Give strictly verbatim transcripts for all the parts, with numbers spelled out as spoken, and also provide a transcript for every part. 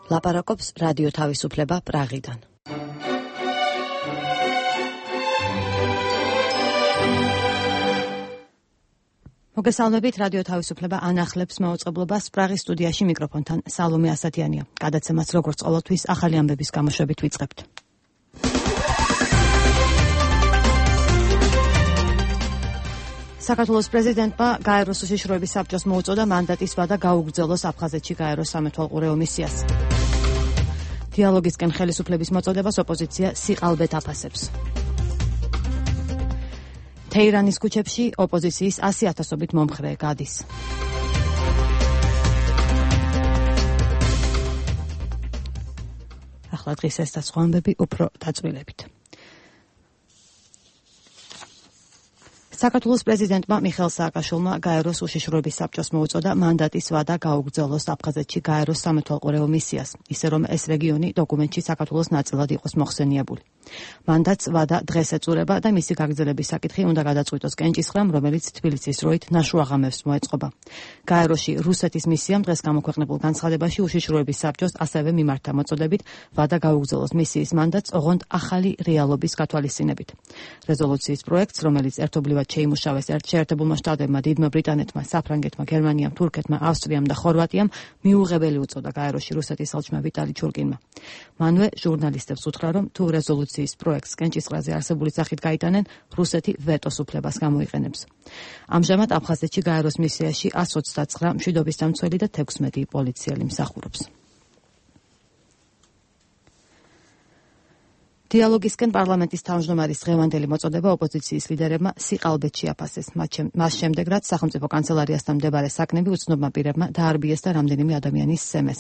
ლაპარაკობს რადიო თავისუფლება პრაღიდან. მოგესალმებით, რადიო თავისუფლება ანახლებს მაუწყებლობას პრაღის სტუდიაში მიკროფონთან სალომე ასათიანია. გადაცემას როგორც ყოველთვის ახალი ამბების გამოშვებით ვიწყებთ. საქართველოს პრეზიდენტმა გაეროს უშიშროების საბჭოს მოუწოდა მანდატის ვადა გაუგრძელოს აფხაზეთში გაეროს სამეთვალყურეო მისიას. დიალოგისკენ ხელისუფლების მოწოდებას ოპოზიცია სიყალბეთ აფასებს. თეირანის ქუჩებში ოპოზიციის ასი ათასობით მომხრე გადის. ახლა დღის ეს და სხვა ამბები უფრო დაწვრილებით. საქართველოს პრეზიდენტმა მიხეილ სააკაშვილმა გაეროს უშიშროების საბჭოს მოუწოდა მანდატის ვადა გაუგრძელოს აფხაზეთში გაეროს სამეთვალყურეო მისიას, ისე რომ ეს რეგიონი დოკუმენტში საქართველოს ნაწილად იყოს მოხსენიებული. მანდატს ვადა დღეს ეწურება და მისი გაგრძელების საკითხი უნდა გადაწყვიტოს კენჭისყრამ, რომელიც თბილისის დროით ნაშრუ აღამებს მოეწყობა. გაეროში რუსეთის მისიამ დღეს გამოქვეყნებულ განცხადებაში უშიშროების საბჭოს ასევე მიმართა მოწოდებით ვადა გაუგრძელოს მისიის მანდატს ოღონდ ახალი რეალობის გათვალისწინებით. რეზოლუციის პროექტს, რომელიც ერთობლივად შეიმუშავეს შეერთებულმა შტატებმა, დიდმა ბრიტანეთმა, საფრანგეთმა, გერმანიამ, თურქეთმა, ავსტრიამ და ხორვატიამ, მიუღებელი უწოდა გაეროში რუსეთის ხელმძღვანელმა ვიტალი ჩურკინმა. მანვე ჟურნალისტებს უთხრა, რომ თუ რეზოლუციის პროექტს კენჭისყრაზე არსებული სახით გაიტანენ, რუსეთი ვეტოს უფლებას გამოიყენებს. ამჟამად აფხაზეთში გაეროს მისიაში ას ოცდაცხრა მშვიდობის დამცველი და თექვსმეტი პოლიციელი მსახურობს. დიალოგისკენ პარლამენტის თავმჯდომარის დღევანდელი მოწოდება ოპოზიციის ლიდერებმა სიყალბეთში აფასეს. მას შემდეგ, რაც სახელმწიფო კანცელარიასთან მდებარე საკნები უცნობმა პირებმა დაარბიეს და რამდენიმე ადამიანის სემეს.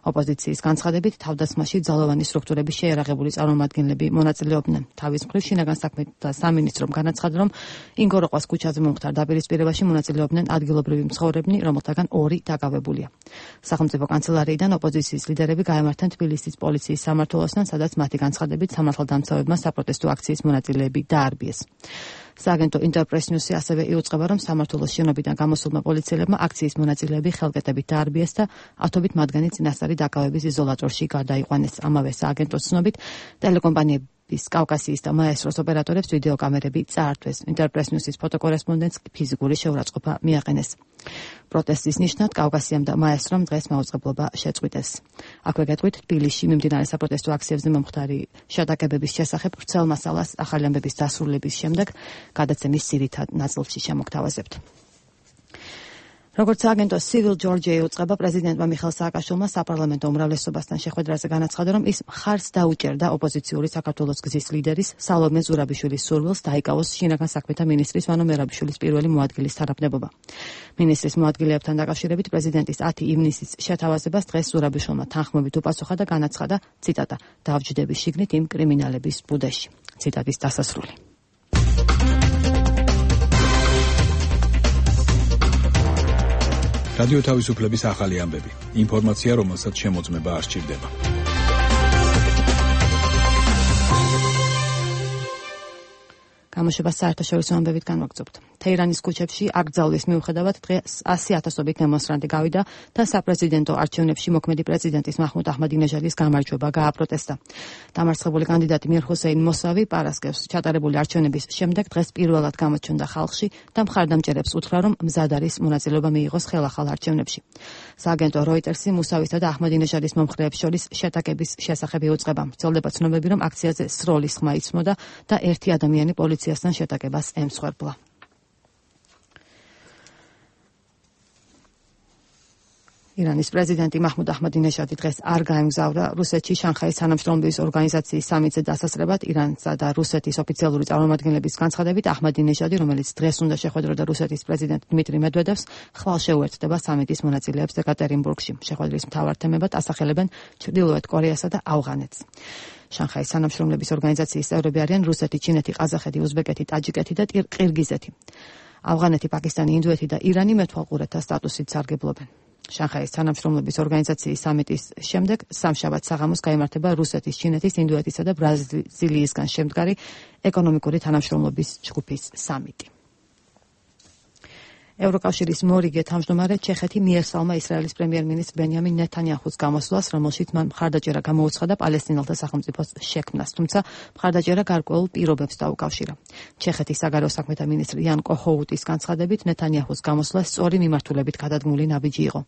ოპოზიციის განცხადებით, თავდასხმაში ძალოვანი სტრუქტურების შეიარაღებული წარმომადგენლები მონაწილეობდნენ. თავის მხრივ შინაგან საქმეთა სამინისტრომ განაცხადა, რომ ინგოროყვას ქუჩაზე მომხდარ დაპირისპირებაში მონაწილეობდნენ ადგილობრივი მცხოვრებნი, რომელთაგან ორი დაკავებულია. სახელმწიფო კანცელარიიდან ოპოზიციის ლიდერები გაემართნენ თბილისის პოლიციის სამმართველოსთან, სადაც მათი განცხადებით მართლდამცავებმა საპროტესტო აქციის მონაწილეები დაარბიეს. სააგენტო ინტერპრეს ნიუსი ასევე იუწყება, რომ სამმართველოს შენობიდან გამოსულმა პოლიციელებმა აქციის მონაწილეები ხელკეტებით დაარბიეს და ათობით მათგანი წინასწარი დაკავების იზოლატორში გადაიყვანეს. ამავე სააგენტოს ცნობით, ტელეკომპანიების კავკასიის და მაესტროს ოპერატორებს ვიდეო კამერები წაართვეს. ინტერპრეს ნიუსის ფოტოკორესპონდენტს ფიზიკური შეურაცხყოფა მიაყენეს. პროტესტის ნიშნად კავკასიამ და მაესტრომ დღეს მაუწყებლობა შეწყვიტეს. აქვე გეტყვით, თბილისში მიმდინარე საპროტესტო აქციებზე მომხდარი შეტაკებების შესახებ ვრცელ მასალას ახალი ამბების დასრულების შემდეგ გადაცემის ძირითად ნაწილში შემოგთავაზებთ. როგორც სააგენტოს Civil Georgia იუწყება, პრეზიდენტმა მიხეილ სააკაშვილმა საპარლამენტო უმრავლესობასთან შეხვედრაზე განაცხადა, რომ ის მხარს დაუჭერდა ოპოზიციური საქართველოს გზის ლიდერის სალომე ზურაბიშვილის სურვილს დაიკავოს შინაგან საქმეთა მინისტრის ვანო მერაბიშვილის პირველი მოადგილის თანამდებობა. მინისტრის მოადგილეებთან დაკავშირებით პრეზიდენტის ათი ივნისის შეთავაზებას დღეს ზურაბიშვილმა თანხმობით უპასუხა და განაცხადა, ციტატა, დავჯდების შიგნით იმ კრიმინალების ბუდეში. ციტატის დასასრული. რადიო თავისუფლების ახალი ამბები. ინფორმაცია, რომელსაც შემოწმება არ სჭირდება. გამოშვებას საერთაშორისო ამბებით განვაგრძობთ. თეირანის ქუჩებში აკრძალვის მიუხედავად დღეს ასი ათასობით დემონსტრანტი გავიდა და საპრეზიდენტო არჩევნებში მოქმედი პრეზიდენტის მაჰმუდ აჰმადინეჟადის გამარჯვება გააპროტესტა. დამარცხებული კანდიდატი მირ ჰუსეინ მოსავი პარასკევს ჩატარებული არჩევნების შემდეგ დღეს პირველად გამოჩნდა ხალხში და მხარდამჭერებს უთხრა, რომ მზად არის მონაწილეობა მიიღოს ხელახალ არჩევნებში. სააგენტო როიტერსი მუსავის და აჰმადინეჟადის მომხრეებს შორის შეტაკების შესახებ იუწყება. ვრცელდება ცნობები, რომ აქციაზე სროლის ხმა იცმოდა და ერთი ადამიანი პოლიციასთან შეტაკებას ემსხვერპლა. ირანის პრეზიდენტი მაჰმუდ აჰმადინეჟადი დღეს არ გაემგზავრა რუსეთში შანხაის თანამშრომლობის ორგანიზაციის სამიტზე დასასრებად. ირანსა და რუსეთის ოფიციალური წარმომადგენლების განცხადებით, აჰმადინეჟადი, რომელიც დღეს უნდა შეხვედროდა რუსეთის პრეზიდენტ დმიტრი მედვედევს, ხვალ შეუერთდება სამიტის მონაწილეებს ეკატერინბურგში. შეხვედრის მთავარ თემებად ასახელებენ ჩრდილოეთ კორეასა და ავღანეთს. შანხაის თანამშრომლობის ორგანიზაციის წევრები არიან რუსეთი, ჩინეთი, ყაზახეთი, უზბეკეთი, ტაჯიკეთი და ყირგიზეთი. ავღანეთი, პაკისტანი, ინდოეთი და ირანი მეთვალყურეთა სტატუსით სარგებლობენ. შანხაის თანამშრომლობის ორგანიზაციის სამიტის შემდეგ სამშაბათ საღამოს გაიმართება რუსეთის, ჩინეთის, ინდოეთისა და ბრაზილიისგან შემდგარი ეკონომიკური თანამშრომლობის ჯგუფის სამიტი. ევროკავშირის მორიგე თავმჯდომარე ჩეხეთი მიესალმა ისრაელის პრემიერ-მინისტრ ბენიამინ ნეთანიაჰუს გამოსვლას, რომელშიც მან მხარდაჭერა გამოუცხადა პალესტინელთა სახელმწიფოს შექმნას, თუმცა მხარდაჭერა გარკვეულ პირობებს დაუკავშირა. ჩეხეთის საგარეო საქმეთა მინისტრი იან კოჰოუტის განცხადებით, ნეთანიაჰუს გამოსვლა სწორი მიმართულებით გადადგმული ნაბიჯი იყო.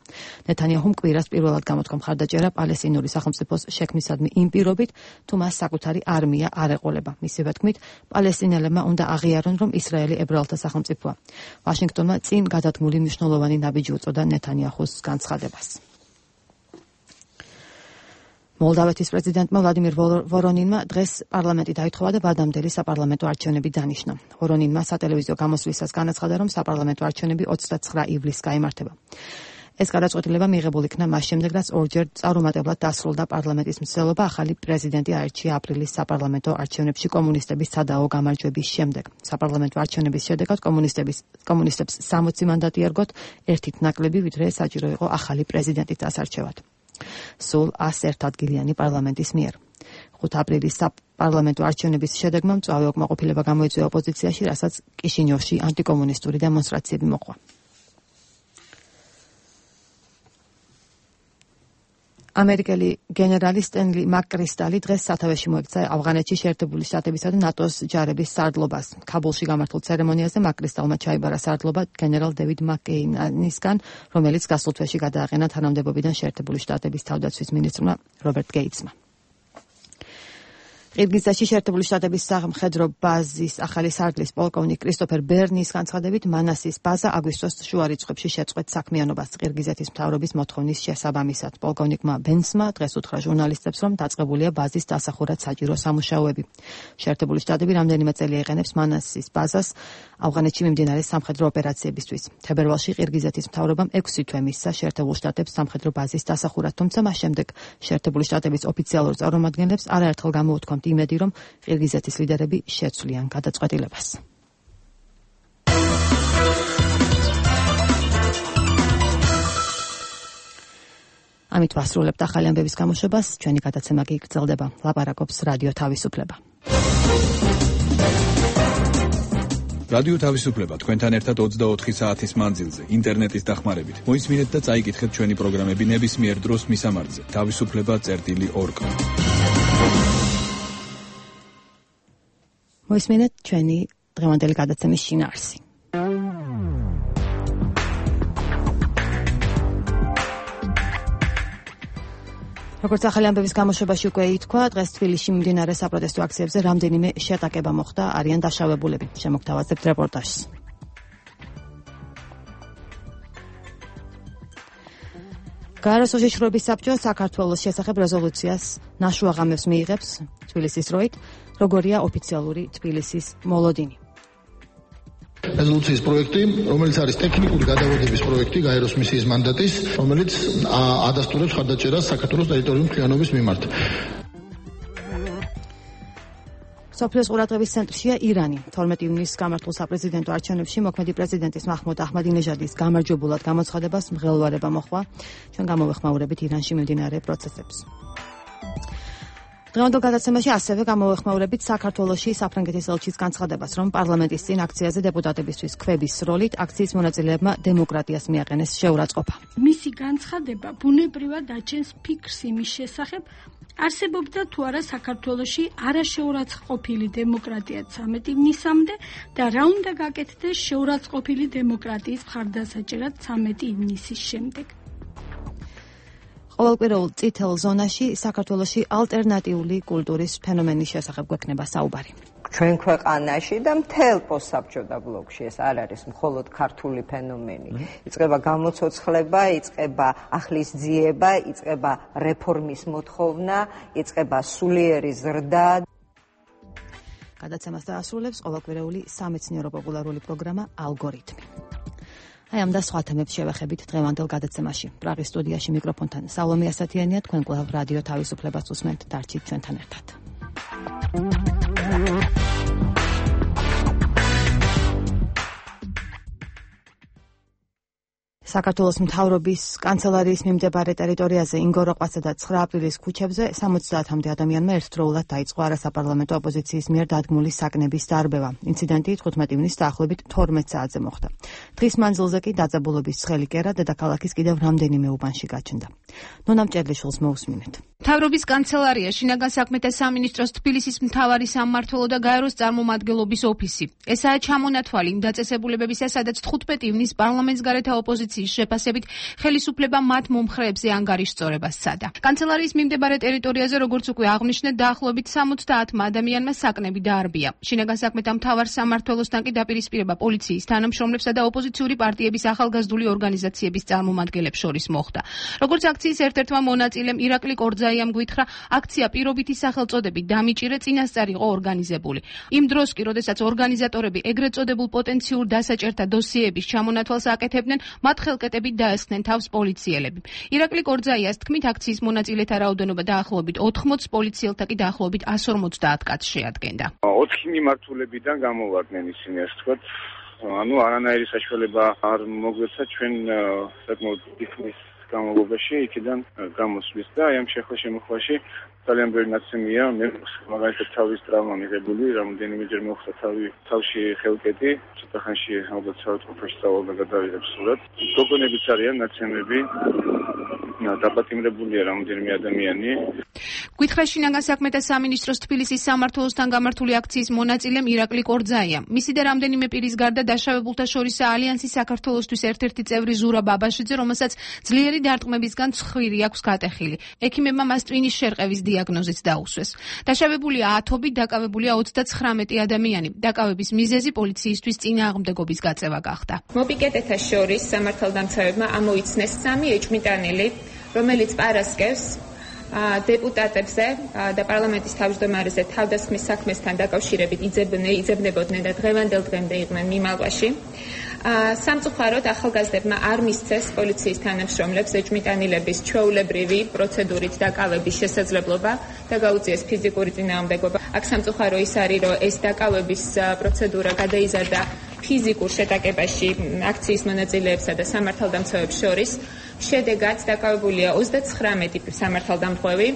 ნეთანიაჰუმ კვირას პირველად გამოთქვა მხარდაჭერა პალესტინური სახელმწიფოს შექმნისადმი იმ პირობით, თუ მას საკუთარი არმია არ ეყოლება. მისივე თქმით, პალესტინელებმა უნდა აღიარონ, რომ ისრაელი ებრაელთა სახელმწიფოა. ვაშინგტონმა წინ გადადგმული მნიშვნელოვანი ნაბიჯი უწოდა ნეთანიაჰუს განცხადებას. მოლდავეთის პრეზიდენტმა ვლადიმირ ვორონინმა დღეს პარლამენტი დაითხოვა და ვადამდელი საპარლამენტო არჩევნები დანიშნა. ვორონინმა სატელევიზიო გამოსვლისას განაცხადა, რომ საპარლამენტო არჩევნები ოცდაცხრა ივლისს გაიმართება. ეს გადაწყვეტილება მიღებულ იქნა მას შემდეგ, რაც ორჯერ წარუმატებლად დასრულდა პარლამენტის მცდელობა ახალი პრეზიდენტი აირჩია აპრილის საპარლამენტო არჩევნებში კომუნისტების სადაო გამარჯვების შემდეგ. საპარლამენტო არჩევნების შედეგად კომუნისტების კომუნისტებს სამოცი მანდატი ერგოთ, ერთით ნაკლები, ვიდრე საჭირო იყო ახალი პრეზიდენტის დასარჩევად. სულ ასი ადგილიანი პარლამენტის მიერ. ხუთი აპრილის საპარლამენტო არჩევნების შედეგმა მწვავე უკმაყოფილება გამოიწვია ოპოზიციაში, რასაც კიშინიოვში ანტიკომუნისტური დემონსტრაციები მოყვა. ამერიკელი გენერალი სტენლი მაკკრისტალი დღეს სათავეში მოექცა ავღანეთში შეერთებული შტატებისა და ნატოს ჯარების სარდლობას. ქაბულში გამართულ ცერემონიაზე მაკკრისტალმა ჩაიბარა სარდლობა გენერალ დევიდ მაკკეინისგან, რომელიც გასულ თვეში გადააყენა თანამდებობიდან შეერთებული შტატების თავდაცვის მინისტრმა რობერტ გეიტსმა. ყირგიზეთში შეერთებული შტატების სამხედრო ბაზის ახალი სარდლის პოლკოვნიკ კრისტოფერ ბერნის განცხადებით, მანასის ბაზა აგვისტოს შუა რიცხვებში შეწყვეტ საქმიანობას ყირგიზეთის მთავრობის მოთხოვნის შესაბამისად. პოლკოვნიკმა ბენსმა დღეს უთხრა ჟურნალისტებს, რომ დაწყებულია ბაზის დასახურად საჭირო სამუშაოები. შეერთებული შტატები რამდენიმე წელი ეყენებს მანასის ბაზას ავღანეთში მიმდინარე სამხედრო ოპერაციებისთვის. თებერვალში ყირგიზეთის მთავრობამ ექვსი თვე მისცა შეერთებულ შტატებს სამხედრო ბაზის დასახურად, თუმცა მას შემდეგ შეერთებული შტატების ოფიციალურ წარმომადგენლებს არაერთხელ გამოუთქვამთ იმედი, რომ ყირგიზეთის ლიდერები შეცვლიან გადაწყვეტილებას. ამით ვასრულებთ ახალი ამბების გამოშვებას, ჩვენი გადაცემა კი გრძელდება. ლაპარაკობს რადიო თავისუფლება. რადიო თავისუფლება თქვენთან ერთად ოცდაოთხი საათის მანძილზე, ინტერნეტის დახმარებით. მოისმინეთ და წაიკითხეთ ჩვენი პროგრამები ნებისმიერ დროს მისამართზე. თავისუფლება წერტილი ორ კომ. მოისმინეთ ჩვენი დღევანდელი გადაცემის შინაარსი. როგორც ახალი ამბების გამოშვებაში უკვე ითქვა, დღეს თბილისში მიმდინარე საპროტესტო აქციებზე რამდენიმე შეტაკება მოხდა, არიან დაშავებულები. შემოგთავაზებთ რეპორტაჟს. გაეროს უშიშროების საბჭო საქართველოს შესახებ რეზოლუციას ნაშუაღამებს მიიღებს თბილისის დროით, როგორია ოფიციალური თბილისის მოლოდინი. რეზოლუციის პროექტი, რომელიც არის ტექნიკური გადავადების პროექტი გაეროს მისიის მანდატის, რომელიც ადასტურებს მხარდაჭერას საქართველოს ტერიტორიული მთლიანობის მიმართ. სოფლიოს ყურადღების ცენტრშია ირანი. თორმეტი ივნისს გამართულ საპრეზიდენტო არჩევნებში მოქმედი პრეზიდენტის მაჰმუდ აჰმადინეჟადის გამარჯვებულად გამოცხადებას მღელვარება მოხდა. ჩვენ გამოვეხმაურებით ირანში მიმდინარე პროცესებს. დღევანდელ გადაცემაში ასევე გამოვეხმაურებით საქართველოში საფრანგეთის ელჩის განცხადებას, რომ პარლამენტის წინ აქციაზე დეპუტატებისთვის ქვების როლით აქციის მონაწილეებმა დემოკრატიას მიაყენეს შეურაცხყოფა. მისი განცხადება ბუნებრივად აჩენს ფიქრს იმის შესახებ, არსებობდა თუ არა საქართველოში არაშეურაცხყოფილი დემოკრატია ცამეტი ივნისამდე და რა უნდა გაკეთდეს შეურაცხყოფილი დემოკრატიის მხარდასაჭერად ცამეტი ივნისის შემდეგ. ყოველკვირეულ წითელ ზონაში საქართველოში ალტერნატიული კულტურის ფენომენის შესახებ გვექნება საუბარი. ჩვენ ქვეყანაში და მთელ პოსტსაბჭოთა ბლოკში ეს არ არის მხოლოდ ქართული ფენომენი. იწყება გამოცოცხლება, იწყება ახლისძიება, იწყება რეფორმის მოთხოვნა, იწყება სულიერი ზრდა. გადაცემას დაასრულებს ყოველკვირეული სამეცნიერო პოპულარული პროგრამა ალგორითმი. აი ამ და სხვა თემებს შევეხებით დღევანდელ გადაცემაში. პრაღის სტუდიაში მიკროფონთან სალომე ასათიანია, თქვენ კვლავ რადიო თავისუფლებას უსმენთ, დარჩით ჩვენთან ერთად. საქართველოს მთავრობის კანცელარიის მიმდებარე ტერიტორიაზე ინგოროყვასა და ცხრა აპრილის ქუჩებზე სამოცდაათამდე ადამიანმა ერთდროულად დაიწყო არასაპარლამენტო ოპოზიციის მიერ დადგმული საკნების დარბევა. ინციდენტი თხუთმეტი ივნის დაახლოებით თორმეტ საათზე მოხდა. დღის მანძილზე კი დაძაბულობის ცხელი კერა დედაქალაქის კიდევ რამდენიმე უბანში გაჩნდა. ნონა მჭედლიშვილს მოусმინეთ. მთავრობის კანცელარია, შინაგან საქმეთა სამინისტროს თბილისის მთავარი სამმართველო და გაეროს წარმომადგენლობის ოფისი. ესაა ჩამონათვალი იმ დაწესებულებებისა, სადაც თხუთმეტი ივნის პარლამენტს გარეთა ოპოზიციის შეფასებით ხელისუფლება მათ მომხრეებზე ანგარიშწორებას სცადა. კანცელარიის მიმდებარე ტერიტორიაზე, როგორც უკვე აღნიშნეთ, დაახლოებით სამოცდაათმა ადამიანმა საკნები დაარბია. შინაგან საქმეთა მთავარ სამმართველოსთან კი დაპირისპირება პოლიციის თანამშრომლებსა და ოპოზიციური პარტიების ახალგაზრდული ორგანიზაციების წარმომადგენლებს შორის მოხდა. როგორც აქციის ერთ-ერთმა მონაწილემ ირაკლი კორძაიამ გვითხრა, აქცია პირობითი სახელწოდებით დამიჭირე წინასწარ იყო ორგანიზებული. იმ დროს კი, როდესაც ორგანიზატორები ეგრეთ წოდებულ პოტენციურ დასაჭერთა დოსიეების ჩამონათვალს აკეთებდნენ, მათ ხელკეტებით დაესხნენ თავს პოლიციელები. ირაკლი კორძაიას თქმით, აქციის მონაწილეთა რაოდენობა დაახლოებით ოთხმოცს, პოლიციელთა კი დაახლოებით εκατს ორმოცდაათ კაცს შეადგენდა. ოთხი მიმართულებიდან გამოვარდნენ ისინი, ასე ვთქვათ. ანუ არანაირი საშუალება არ მოგვეცა ჩვენ საკმაოდ დიდ განმავლობაში იქიდან გამოსვლის და აი ამ შეხლა-შემოხვაში ძალიან ბევრი ნაცემია. მე მაგალითად თავის ტრავმა მიღებული, რამდენიმეჯერ მოხდა თავი თავში ხელკეტი, ცოტა ხანში ალბათ საავადმყოფოში სწავლა გადავიღებ სურათ. გოგონებიც არიან ნაცემები, დაპატიმრებულია რამდენიმე ადამიანი. გვითხრა შინაგან საქმეთა სამინისტროს თბილისის სამმართველოსთან გამართული აქციის მონაწილემ ირაკლი კორძაია. მისი და რამდენიმე პირის გარდა დაშავებულთა შორისაა ალიანსის საქართველოსთვის ერთ-ერთი წევრი ზურაბ აბაშიძე, რომელსაც ძლიერი დარტყმებისგან ცხვირი აქვს გატეხილი. ექიმებმა მას ტვინის შერყევის დიაგნოზიც დაუსვეს. დაშავებულია ათობით, დაკავებულია ოცდაცხრამეტი ადამიანი. დაკავების მიზეზი პოლიციისთვის წინააღმდეგობის გაწევა გახდა. მოპიკეტეთა შორის სამართალდამცავებმა ამოიცნეს სამი ეჭვმიტანილი, რომელიც პარასკევს დეპუტატებზე და პარლამენტის თავმჯდომარეზე თავდასხმის საქმესთან დაკავშირებით იძებნებოდნენ და დღევანდელ დღემდე იყვნენ მიმალვაში. სამწუხაროდ ახალგაზრდებმა არ მისცეს პოლიციის თანამშრომლებს ეჭვმიტანილების ჩვეულებრივი პროცედურით დაკავების შესაძლებლობა და გაუწიეს ფიზიკური წინააღმდეგობა. აქ სამწუხარო ის არის, რომ ეს დაკავების პროცედურა გადაიზარდა ფიზიკურ შეტაკებაში აქციის მონაწილეებსა და სამართალდამცავებს შორის. შედეგად დაკავებულია ოცდაცხრამეტი სამართალდამცავი.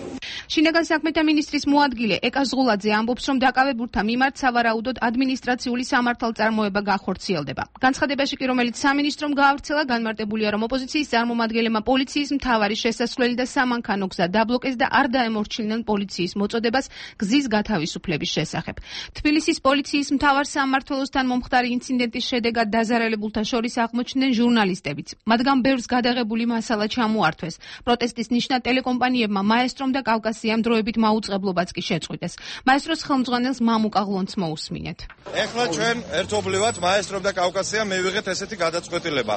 შინაგან საქმეთა მინისტრის მოადგილე ეკა ზღულაძე ამბობს, რომ დაკავებულთა მიმართ სავარაუდოდ ადმინისტრაციული სამართალწარმოება გახორციელდება. განცხადებაში კი, რომელიც სამინისტრომ გაავრცელა, განმარტებულია, რომ ოპოზიციის წარმომადგენლებმა პოლიციის მთავარი შესასვლელი და სამანქანო გზა დაბლოკეს და არ დაემორჩილინენ პოლიციის მოწოდებას გზის გათავისუფლების შესახებ. თბილისის პოლიციის მთავარ სამმართველოსთან მომხდარი ინციდენტის შედეგად დაზარალებულთა შორის აღმოჩნდნენ ჟურნალისტებიც. მათგან ბევრს გადაღებული მასალა ჩამოართვეს. პროტესტის ნიშნად ტელეკომპანიებმა მაესტრომ და კავკასიამ დროებით მაუწყებლობაც კი შეწყვიტეს. მაესტროს ხელმძღვანელს მამუკა ღლონც მოусმინეთ. ეხლა ჩვენ ერთობლივად მაესტრომ და კავკასიამ მივიღეთ ესეთი გადაწყვეტილება.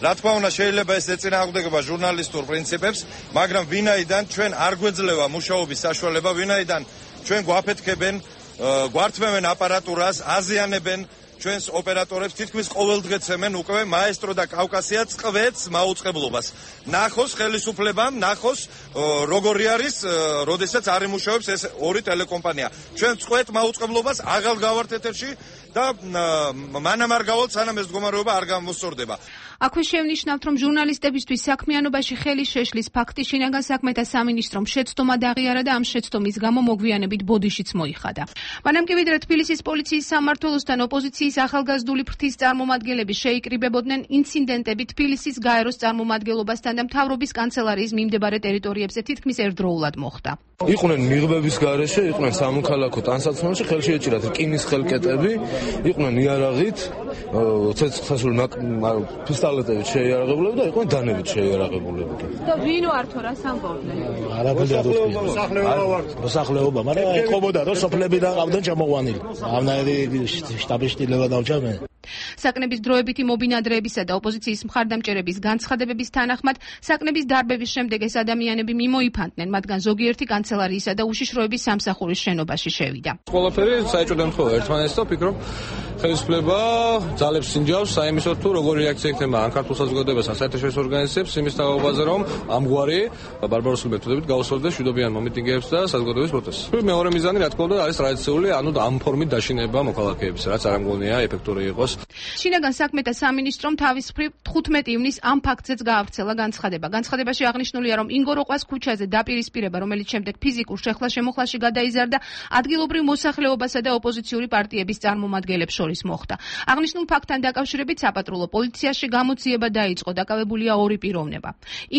რა თქმა უნდა, შეიძლება ეს ეწინააღმდეგება ჟურნალისტურ პრინციპებს, მაგრამ ვინაიდან ჩვენ არ გვეძლევა მუშაობის საშუალება, ვინაიდან ჩვენ გვაფეთქებენ, გვართმევენ აპარატურას, აზიანებენ ჩვენს ოპერატორებს, თითქმის ყოველდღე ცემენ უკვე მაესტრო და კავკასია წყვეტს მაუწყებლობას. ნახოს ხელისუფლებამ, ნახოს როგორი არის, როდესაც არ იმუშავებს ეს ორი ტელეკომპანია. ჩვენ წყვეტ მაუწყებლობას აღარ გავართ ეთერში და მანამ არ გავალთ, სანამ ეს მდგომარეობა არ გამოსწორდება. აქვე შევნიშნავთ, რომ ჟურნალისტებისთვის საქმიანობაში ხელი შეშლის ფაქტი შინაგან საქმეთა სამინისტრომ შეცდომა დაღიარა და ამ შეცდომის გამო მოგვიანებით ბოდიშიც მოიხადა. მანამ კი ვიდრე თბილისის პოლიციის სამმართველოსთან ოპოზიციის ახალგაზრდული ფრთის წარმომადგენლები შეიკრიბებოდნენ, ინციდენტები თბილისის გაეროს წარმომადგენლობასთან და მთავრობის კანცელარიის მიმდებარე ტერიტორიებზე თითქმის ერთდროულად მოხდა. იყვნენ მიღბების გარეშე, იყვნენ სამოქალაქო ტანსაცმელში, ხელში ეჭირათ რკინის ხელკეტები, იყვნენ იარაღით, ცეცხლსასროლ პისტოლეტებით შეიარაღებულები და იყვნენ დანებით შეიარაღებულები. და ვინ ვართ რას ამბობდნენ? არაფერი არ უთქვია. მოსახლეობა, მაგრამ ეთყობოდა რომ სოფლებიდან ყავდნენ ჩამოყვანილი. ამნაირი შტაბის შტილება დავჭამენ. საკნების დროებითი მობინადრეებისა და ოპოზიციის მხარდამჭერების განცხადებების თანახმად, საკნების დარბევის შემდეგ ეს ადამიანები მიმოიფანტნენ, მათგან ზოგიერთი კანცელარიისა და უშიშროების სამსახურის შენობაში შევიდა. ყველაფერი საჭიროა ემთხვევა ერთმანეთს და ვფიქრობ, ხელისუფლება ძალებს სინჯავს საიმისოდ თუ როგორი რეაქცია იქნება ან ქართულ საზოგადოებას ან საერთაშორისო ორგანიზაციებს იმის თაობაზე, რომ ამგვარი ბარბაროსული მეთოდებით გაუსწორდეს მშვიდობიან მომიტინგეებს და საზოგადოების პროტესტს. მეორე მიზანი, რა თქმა უნდა, არის ტრადიციული, ანუ ამ ფორმით დაშინება მოქალაქეების, რაც არ ამგონია ეფექტური იყოს. შინაგან საქმეთა სამინისტრომ თავის მხრივ თხუთმეტი ივნისს ამ ფაქტზეც გაავრცელა განცხადება. განცხადებაში აღნიშნულია, რომ ინგოროყვას ქუჩაზე დაპირისპირება, რომელიც შემდეგ ფიზიკურ შეხლა-შემოხლაში გადაიზარდა, ადგილობრივ მოსახლეობასა და ოპოზიციური პარტიების წარმომადგენლებს შორის მოხდა. აღნიშნულ ფაქტთან დაკავშირებით საპატრულო პოლიციაში გამოძიება დაიწყო, დაკავებულია ორი პიროვნება.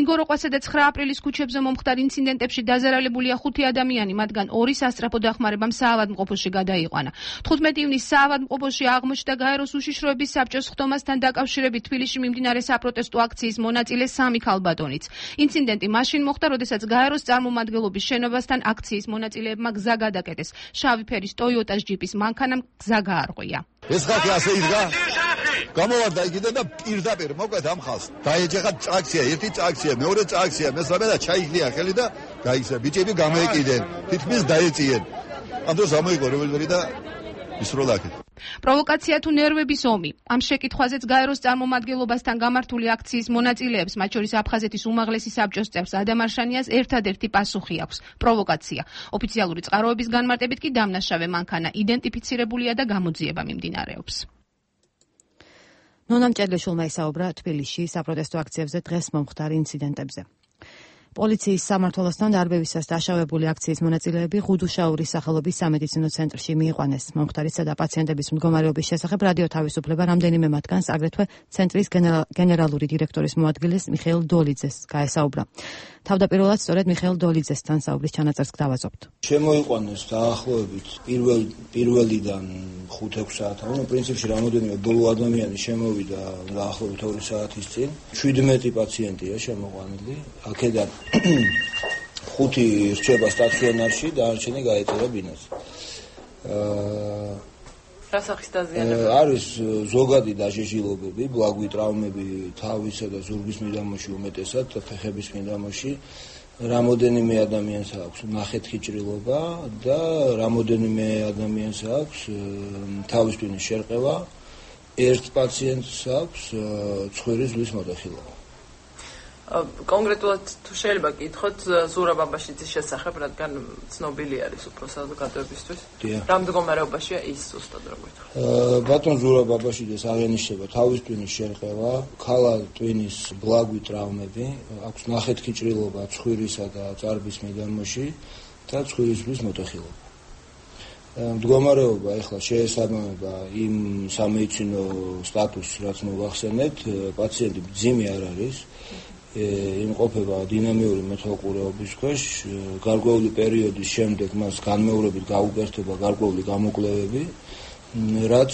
ინგოროყვასა და ცხრა აპრილის ქუჩებზე მომხდარ ინციდენტებში დაზარალებულია ხუთი ადამიანი, მათგან ორი სასწრაფო დახმარებამ საავადმყოფოში გადაიყვანა. თხუთმეტი ივნისს საავადმყოფოში აღმოჩნდა გაეროს უშიშროების საბჭოს ხდომასთან დაკავშირებით თბილისში მიმდინარე საპროტესტო აქციის მონაწილე სამი ქალბატონიც. ინციდენტი მაშინ მოხდა, როდესაც გაეროს წარმომადგენლობის შენობასთან აქციის მონაწილეებმა გზა გადაკეტეს. შავი ფერის ტოიოტას ჯიპის მანქანამ გზა გაარღვია. ეს ხალხი ასე იდგა. გამოვარდა იქიდან და პირდაპირ მოკვეთ ამ ხალხს. დაეჯახა აკცია, ერთი აკცია, მეორე აკცია, მესამე და ჩაიგდია ხელი და გაიქცა. ბიჭები გამოეკიდნენ, თითქმის დაეწიენ. ამ დროს ამოიღო რევოლვერი და ისროლა აქეთ. პროვოკაცია თუ ნერვების ომი. ამ შეკითხვაზეც გაეროს წარმომადგენლობასთან გამართული აქციის მონაწილეებს, მათ შორის აფხაზეთის უმაღლესი საბჭოს წევრს ადამ არშანიას ერთადერთი პასუხი აქვს: პროვოკაცია. ოფიციალური წყაროების განმარტებით კი დამნაშავე მანქანა იდენტიფიცირებულია და გამოძიება მიმდინარეობს. ნონა მჭედლიშვილმა ისაუბრა თბილისში საპროტესტო აქციებზე დღეს მომხდარ ინციდენტებზე. პოლიციის სამმართველოსთან დარბევისას დაშავებული აქციის მონაწილეები ღუდუშაურის სახელობის სამედიცინო ცენტრში მიიყვანეს. მომხდარისა და პაციენტების მდგომარეობის შესახებ რადიო თავისუფლება რამდენიმე მათგანს, აგრეთვე ცენტრის გენერალური დირექტორის მოადგილეს მიხეილ დოლიძეს გაესაუბრა. თავდაპირველად სწორედ მიხეილ დოლიძესთან საუბრის ჩანაწერს გვთავაზობთ. შემოიყვანეს დაახლოებით პირველ პირველიდან ხუთ-ექვს საათამდე, პრინციპში რამოდენიმე ბოლო ადამიანი შემოვიდა დაახლოებით ორი საათის წინ. შვიდმეტი პაციენტია შემოყვანილი. აქედან ხუთი რჩება სტაციონარში, დანარჩენი გაეწერა ბინაზე. რა სახის დაზიანებები? არის ზოგადი დაჟეჟილობები, ბლაგვი ტრავმები თავისა და ზურგის მიდამოში, უმეტესად ფეხების მიდამოში. რამოდენიმე ადამიანს აქვს ნახეთქი ჭრილობა და რამოდენიმე ადამიანს აქვს თავის ტვინის შერყევა. ერთ პაციენტს აქვს ცხვირის ზღვის მოტეხილობა. კონკრეტულად თუ შეიძლება გითხოთ ზურაბ აბაშიძის შესახებ, რადგან ცნობილი არის უფრო საზოგადოებისთვის. რა მდგომარეობაშია ის ზუსტად რა გითხრათ? ბატონ ზურაბ აბაშიძეს აღენიშნება თავის ტვინის შერყევა, ქალა ტვინის ბლაგვი ტრავმები, აქვს ნახეთქი ჭრილობა ცხვირისა და წარბის მიდამოში და ცხვირის ზღვის მოტეხილობა. მდგომარეობა ეხლა შეესაბამება იმ სამედიცინო სტატუსს, რაც მოგახსენეთ, პაციენტი მძიმე არ არის. იმყოფება დინამიური მეთვალყურეობის ქვეშ, გარკვეული პერიოდის შემდეგ მას განმეორებით გაუკეთდება გარკვეული გამოკვლევები, რაც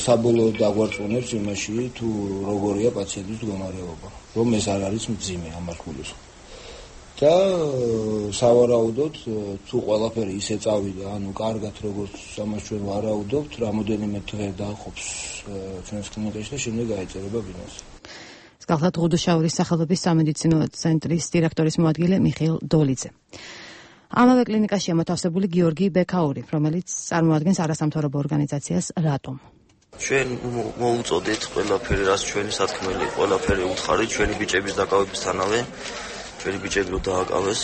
საბოლოოდ დაგვარწმუნებს იმაში, თუ როგორია პაციენტის მდგომარეობა, რომ ეს არ არის მძიმე ამას გულისხმობ. და სავარაუდოდ, თუ ყველაფერი ისე წავიდა, ანუ კარგად როგორც ამას ჩვენ ვარაუდობთ, რამოდენიმე დღე დააყოფს ჩვენს კლინიკაში და შემდეგ გაეწერება ბინაზე. გახლავთ ღუდუშაურის სახელობის სამედიცინო ცენტრის დირექტორის მოადგილე მიხეილ დოლიძე. ამავე კლინიკაშია მოთავსებული გიორგი ბექაური, რომელიც წარმოადგენს არასამთავრობო ორგანიზაციას რატომ. ჩვენ მოუწოდეთ ყველაფერი, რაც ჩვენი სათქმელი, ყველაფერი უთხარი ჩვენი ბიჭების დაკავებისთანავე, ჩვენი ბიჭები რო დააკავეს,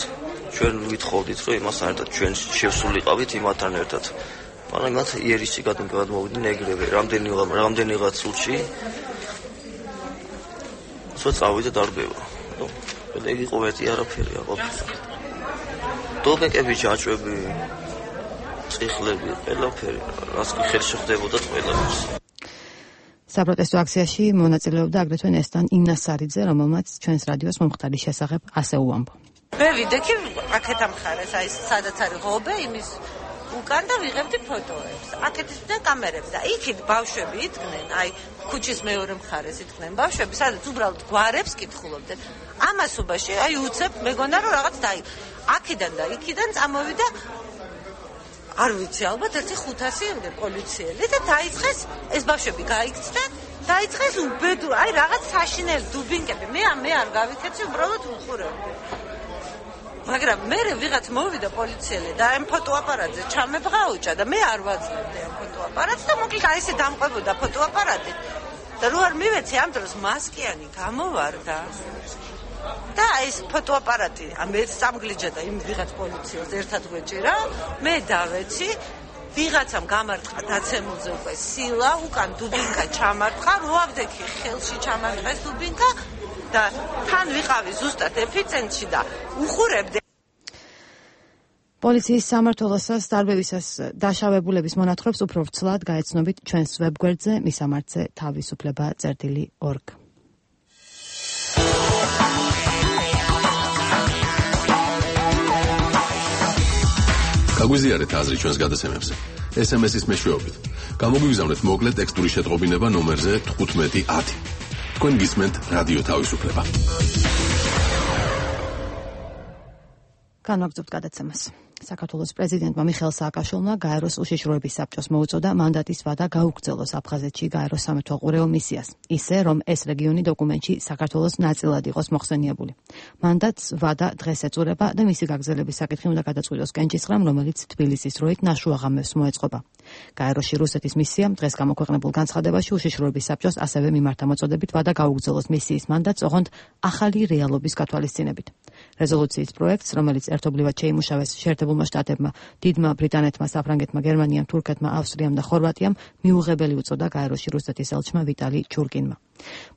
ჩვენ ვითხოვდით, რომ იმასთან ერთად ჩვენ შევსულიყავით იმათთან ერთად. მაგრამ მათ იერისში გადმოვიდნენ ეგრევე, რამდენი რამდენიღაც წუთში სულ წავიდა დარბევა. და იგი იყო ერთი არაფერი აყოფილი. დოლმეკები, ჯაჭვები, წიხლები, ყველაფერი, რაც კი ხელში ხდებოდა ყველაფერს. საპროტესტო აქციაში მონაწილეობდა აგრეთვე ნესტან ინასარიძე, რომელმაც ჩვენს რადიოს მომხდარის შესახებ ასე უამბო. მე ვიდექი აქეთ ამხარეს, აი სადაც არის ღობე, იმის უკან და ვიღებდი ფოტოებს. აქეთ და კამერები და იქით ბავშვები იდგნენ, აი ქუჩის მეორე მხარეს იდგნენ ბავშვები, სადაც უბრალოდ გვარებს კითხულობდნენ. ამასობაში აი უცებ მეგონა რომ რაღაც დაი. აქედან და იქიდან წამოვიდა არ ვიცი, ალბათ ერთი ხუთასი პოლიციელი და დაიწყეს ეს ბავშვები გაიქცდა, დაიწყეს უბედური, აი რაღაც საშინელი დუბინკები. მე მე არ გავიქეცი, უბრალოდ უხურებდი. მაგრამ მე ვიღაც მოვიდა პოლიციელი და ამ ფოტოაპარატზე ჩამებღაუჭა და მე არ ვაძლევდი ამ ფოტოაპარატს და მოკლედ აი ესე დამყვებოდა ფოტოაპარატი და რო არ მივეცი ამ დროს მასკიანი გამოვარდა და ეს ფოტოაპარატი ამეც წამგლიჯა და იმ ვიღაც პოლიციას ერთად გვეჭირა, მე დავეცი ვიღაცამ გამარტყა დაცემულზე უკვე სილა, უკან დუბინკა ჩამარტყა, როავდექი ხელში ჩამარტყეს დუბინკა და თან ვიყავი ზუსტად ეფიცენტრში და უხურებდი. პოლიციის სამმართველოსას დარბევისას დაშავებულების მონათხრობს უფრო ვრცლად გაეცნობით ჩვენს ვებგვერდზე მისამართზე თავისუფლება წერტილი ორგ. გაგვიზიარეთ აზრი ჩვენს გადაცემებზე. ეს ემ ეს-ის მეშვეობით. გამოგვიგზავნეთ მოკლე ტექსტური შეტყობინება ნომერზე თხუთმეტი ათი. თქვენ გისმენთ რადიო თავისუფლება. განვაგრძობთ გადაცემას. საქართველოს პრეზიდენტმა მიხეილ სააკაშვილმა გაეროს უშიშროების საბჭოს მოუწოდა მანდატის ვადა გაუგრძელოს აფხაზეთში გაეროს სამეთვალყურეო მისიას, ისე რომ ეს რეგიონი დოკუმენტში საქართველოს ნაწილად იყოს მოხსენიებული. მანდატს ვადა დღეს ეწურება და მისი გაგრძელების საკითხი უნდა გადაწყვიტოს კენჭისყრამ, რომელიც თბილისის დროით ნაშუა ღამეს მოეწყობა. გაეროში რუსეთის მისიამ დღეს გამოქვეყნებულ განცხადებაში უშიშროების საბჭოს ასევე მიმართა მოწოდებით ვადა გაუგრძელოს მისიის მანდატს, ოღონდ ახალი რეალობის გათვალისწინებით. რეზოლუციის პროექტს, რომელიც ერთობლივად შეიმუშავეს შეერთებულმა შტატებმა, დიდმა ბრიტანეთმა, საფრანგეთმა, გერმანიამ, თურქეთმა, ავსტრიამ და ხორვატიამ, მიუღებელი უწოდა გაეროში რუსეთის ელჩმა ვიტალი ჩურკინმა.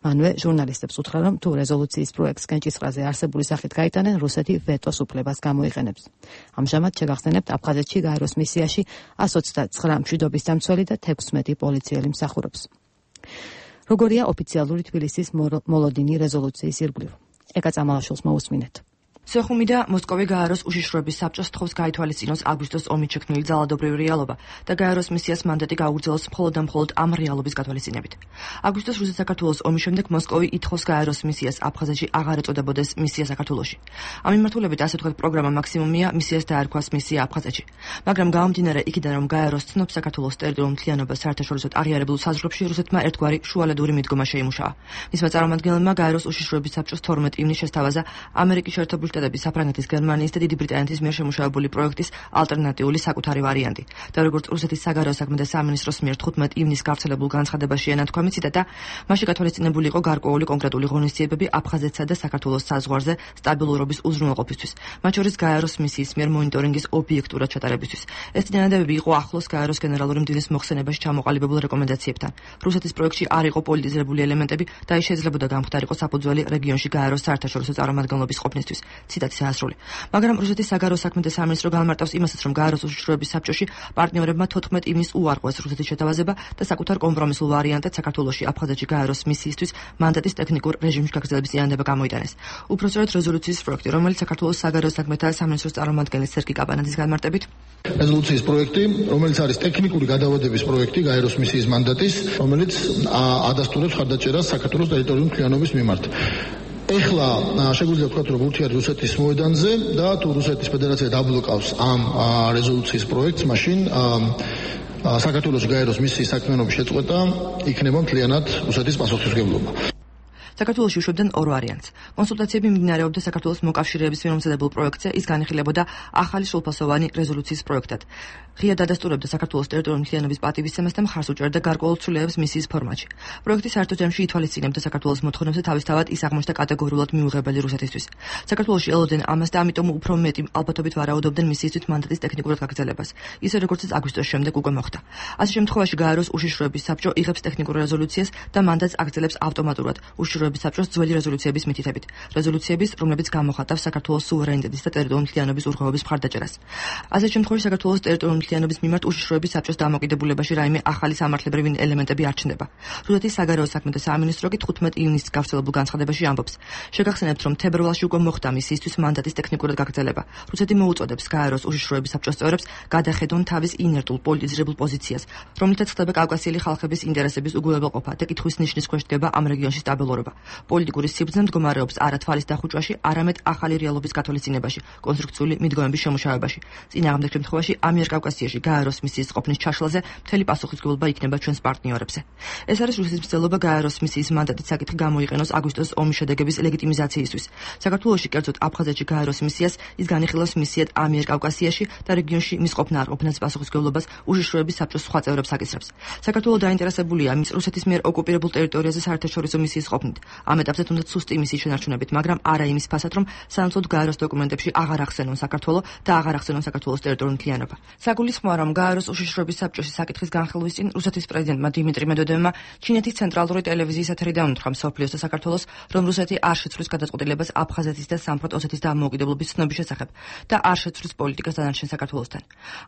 მანვე ჟურნალისტებს უთხრა, რომ თუ რეზოლუციის პროექტს კენჭისყრაზე არსებული სახით გაიტანენ, რუსეთი ვეტოს უფლებას გამოიყენებს. ამჟამად შეგახსენებთ, აფხაზეთში გაეროს მისიაში ას ოცდათვრამეტი მშვიდობის დამცველი და თექვსმეტი პოლიციელი მსახურობს. როგორია ოფიციალური თბილისის მოლოდინი რეზოლუციის ირგვლივ? ეკა წამალაშვილს მოусმინეთ. სოხუმი და მოსკოვი გაეროს უშიშროების საბჭოს თხოვს გაითვალისწინოს აგვისტოს ომით შექმნილი ძალადობრივი რეალობა და გაეროს მისიას მანდატი გაუგრძელოს მხოლოდ და მხოლოდ ამ რეალობის გათვალისწინებით. აგვისტოს რუსეთ-საქართველოს ომის შემდეგ მოსკოვი ითხოვს გაეროს მისიას აფხაზეთში აღარ ეწოდებოდეს მისია საქართველოში. ამ მიმართულებით ასე ვთქვათ, პროგრამა მაქსიმუმია მისიას დაერქვას მისია აფხაზეთში. მაგრამ გამომდინარე იქიდან, რომ გაეროს ცნობს საქართველოს ტერიტორიულ მთლიანობას საერთაშორისო აღიარებულ საზღვრებში, რუსეთმა ერთგვარი შუალედური მიდგომა შეიმუშავა. მისმა წარმომადგენლებმა გაეროს უშიშროების საბჭოს თორმეტი ივნისს შესთავაზა ამერიკის შეერთებული შტატების, საფრანგეთის, გერმანიის და დიდი ბრიტანეთის მიერ შემუშავებული პროექტის ალტერნატიული საკუთარი ვარიანტი. და როგორც რუსეთის საგარეო საქმეთა სამინისტროს მიერ თხუთმეტი ივნისს გავრცელებულ განცხადებაში ენათქვამით, ციტატა, მასში გათვალისწინებული იყო გარკვეული კონკრეტული ღონისძიებები აფხაზეთსა და საქართველოს საზღვარზე სტაბილურობის უზრუნველყოფისთვის, მათ შორის გაეროს მისიის მიერ მონიტორინგის ობიექტურად ჩატარებისთვის. ეს წინადადებები იყო ახლოს გაეროს გენერალური მდივნის მოხსენებაში ჩამოყალიბებულ რეკომენდაციებთან. რუსეთის პროექტში არ იყო პოლიტიზირებული ელემენტები და ის შეიძლებოდა გამხდარიყო საფუძველი რეგიონში გაეროს საერთაშორისო წარმომადგენლობის ყოფნისთვის. ციტატის ასრული. მაგრამ რუსეთის საგარეო საქმეთა სამინისტრო განმარტავს იმასაც, რომ გაეროს უშიშროების საბჭოში პარტნიორებმა თოთხმეტი ივნისს უარყვეს რუსეთის შეთავაზება და საკუთარ კომპრომისულ ვარიანტად საქართველოში აფხაზეთში გაეროს მისიისთვის მანდატის ტექნიკურ რეჟიმში გაგრძელების წინადადება გამოიტანეს. უпростоრად რეზოლუციის პროექტი, რომელიც საქართველოს საგარეო საქმეთა სამინისტროს წარმომადგენლის სერგი კაბანაძის განმარტებით, რეზოლუციის პროექტი, რომელიც არის ტექნიკური გადავადების პროექტი გაეროს მისიის მანდატის, რომელიც ადასტურებს ხარდაჭერას საქართველოს ტერიტორიული მთლიანობის მიმართ. ეხლა შეგვიძლია ვთქვათ, რომ ურთიერთ რუსეთის მოედანზე და თუ რუსეთის ფედერაცია დაბლოკავს ამ რეზოლუციის პროექტს, მაშინ საქართველოს გაეროს მისიის საქმიანობის შეწყვეტა იქნება მთლიანად რუსეთის პასუხისმგებლობა. საქართველოში უშვებდნენ ორ ვარიანტს. კონსულტაციები მიმდინარეობდა საქართველოს მოკავშირეების მიერ მომზადებულ პროექტზე, ის განიხილებოდა ახალი სრულფასოვანი რეზოლუციის პროექტად. ღია დადასტურებდა საქართველოს ტერიტორიული მთლიანობის პატივისცემას და მხარს უჭერდა გარკვეულ ცვლილებებს მისიის ფორმატში. პროექტი საერთო ჯამში ითვალისწინებდა საქართველოს მოთხოვნებს და თავისთავად ის აღმოჩნდა კატეგორიულად მიუღებელი რუსეთისთვის. საქართველოში ელოდნენ ამას და ამიტომ უფრო მეტი ალბათობით ვარაუდობდნენ მისიისთვის მანდატის ტექნიკურად გაგრძელებას, ისე როგორც ეს აგვისტოს შემდეგ უკვე მოხდა. ასე შემთხვევაში გაეროს უშიშროების საბჭო იღებს ტექნიკურ რეზოლუციას და მანდატს აგრძელებს ავტომატურად უშიშროების საბჭოს ძველი რეზოლუციების მითითებით. რეზოლუციების, რომლებიც გამოხატავს საქართველოს სუვერენიტეტის და ტერიტორიული მთლიანობის უღრმავების მხარდაჭერას. ასე შემთხვევაში საქართველოს ტერიტორიული მთლიანობის მიმართ უშიშროების საბჭოს დამოკიდებულებაში რაიმე ახალი სამართლებრივი ელემენტები არ ჩნდება. რუსეთის საგარეო საქმეთა სამინისტრო კი თხუთმეტი ივნისს გავრცელებულ განცხადებაში ამბობს. შეგახსენებთ, რომ თებერვალში უკვე მოხდა მისიისთვის მანდატის ტექნიკურად გაგრძელება. რუსეთი მოუწოდებს გაეროს უშიშროების საბჭოს წევრებს გადახედონ თავის ინერტულ პოლიტიზირებულ პოზიციას, რომლითაც ხდება კავკასიელი ხალხების ინტერესების უგულებელყოფა და კითხვის ნიშნის ქვეშ დგება ამ რეგიონში სტაბილურობა. პოლიტიკური სიბრძნე მდგომარეობს არა თვალის დახუჭვაში, არამედ ახალი რეალობის გათვალისწინებაში, კონსტრუქციული მიდგომების შემუშავებაში. წინააღმდეგ შემთხვევაში ამიერკავკასიაში გაეროს მისიის ყოფნის ჩაშლაზე მთელი პასუხისმგებლობა იქნება ჩვენს პარტნიორებზე. ეს არის რუსეთის მცდელობა გაეროს მისიის მანდატის საკითხი გამოიყენოს აგვისტოს ომის შედეგების ლეგიტიმიზაციისთვის. საქართველოში, კერძოდ აფხაზეთში გაეროს მისიას ის განიხილავს მისიად ამიერკავკასიაში და რეგიონში მის ყოფნა არ ყოფნას პასუხისმგებლობას უშიშროების საბჭოს სხვა წევრებს აკისრებს. საქართველო დაინტერესებულია მის რუსეთის მიერ ოკუპირებულ ტერიტორიაზე საერთაშორისო მისიის ყოფნით. ამ ეტაპზე თუნდაც სუსტი იმისის შენარჩუნებით, მაგრამ არა იმის ფასად, რომ სანაცვლოდ გაეროს დოკუმენტებში აღარ ახსენონ საქართველო და აღარ ახსენონ საქართველოს ტერიტორიული მთლიანობა. საგულისხმოა, რომ გაეროს უშიშროების საბჭოში საკითხის განხილვის წინ რუსეთის პრეზიდენტმა დიმიტრი მედვედევმა ჩინეთის ცენტრალური ტელევიზიის ეთერიდან უთხრა მსოფლიოს და საქართველოს, რომ რუსეთი არ შეცვლის გადაწყვეტილებას აფხაზეთის და სამხრეთ ოსეთის დამოუკიდებლობის ცნობის შესახებ და არ შეცვლის პოლიტიკას დანარჩენ საქართველოსთან.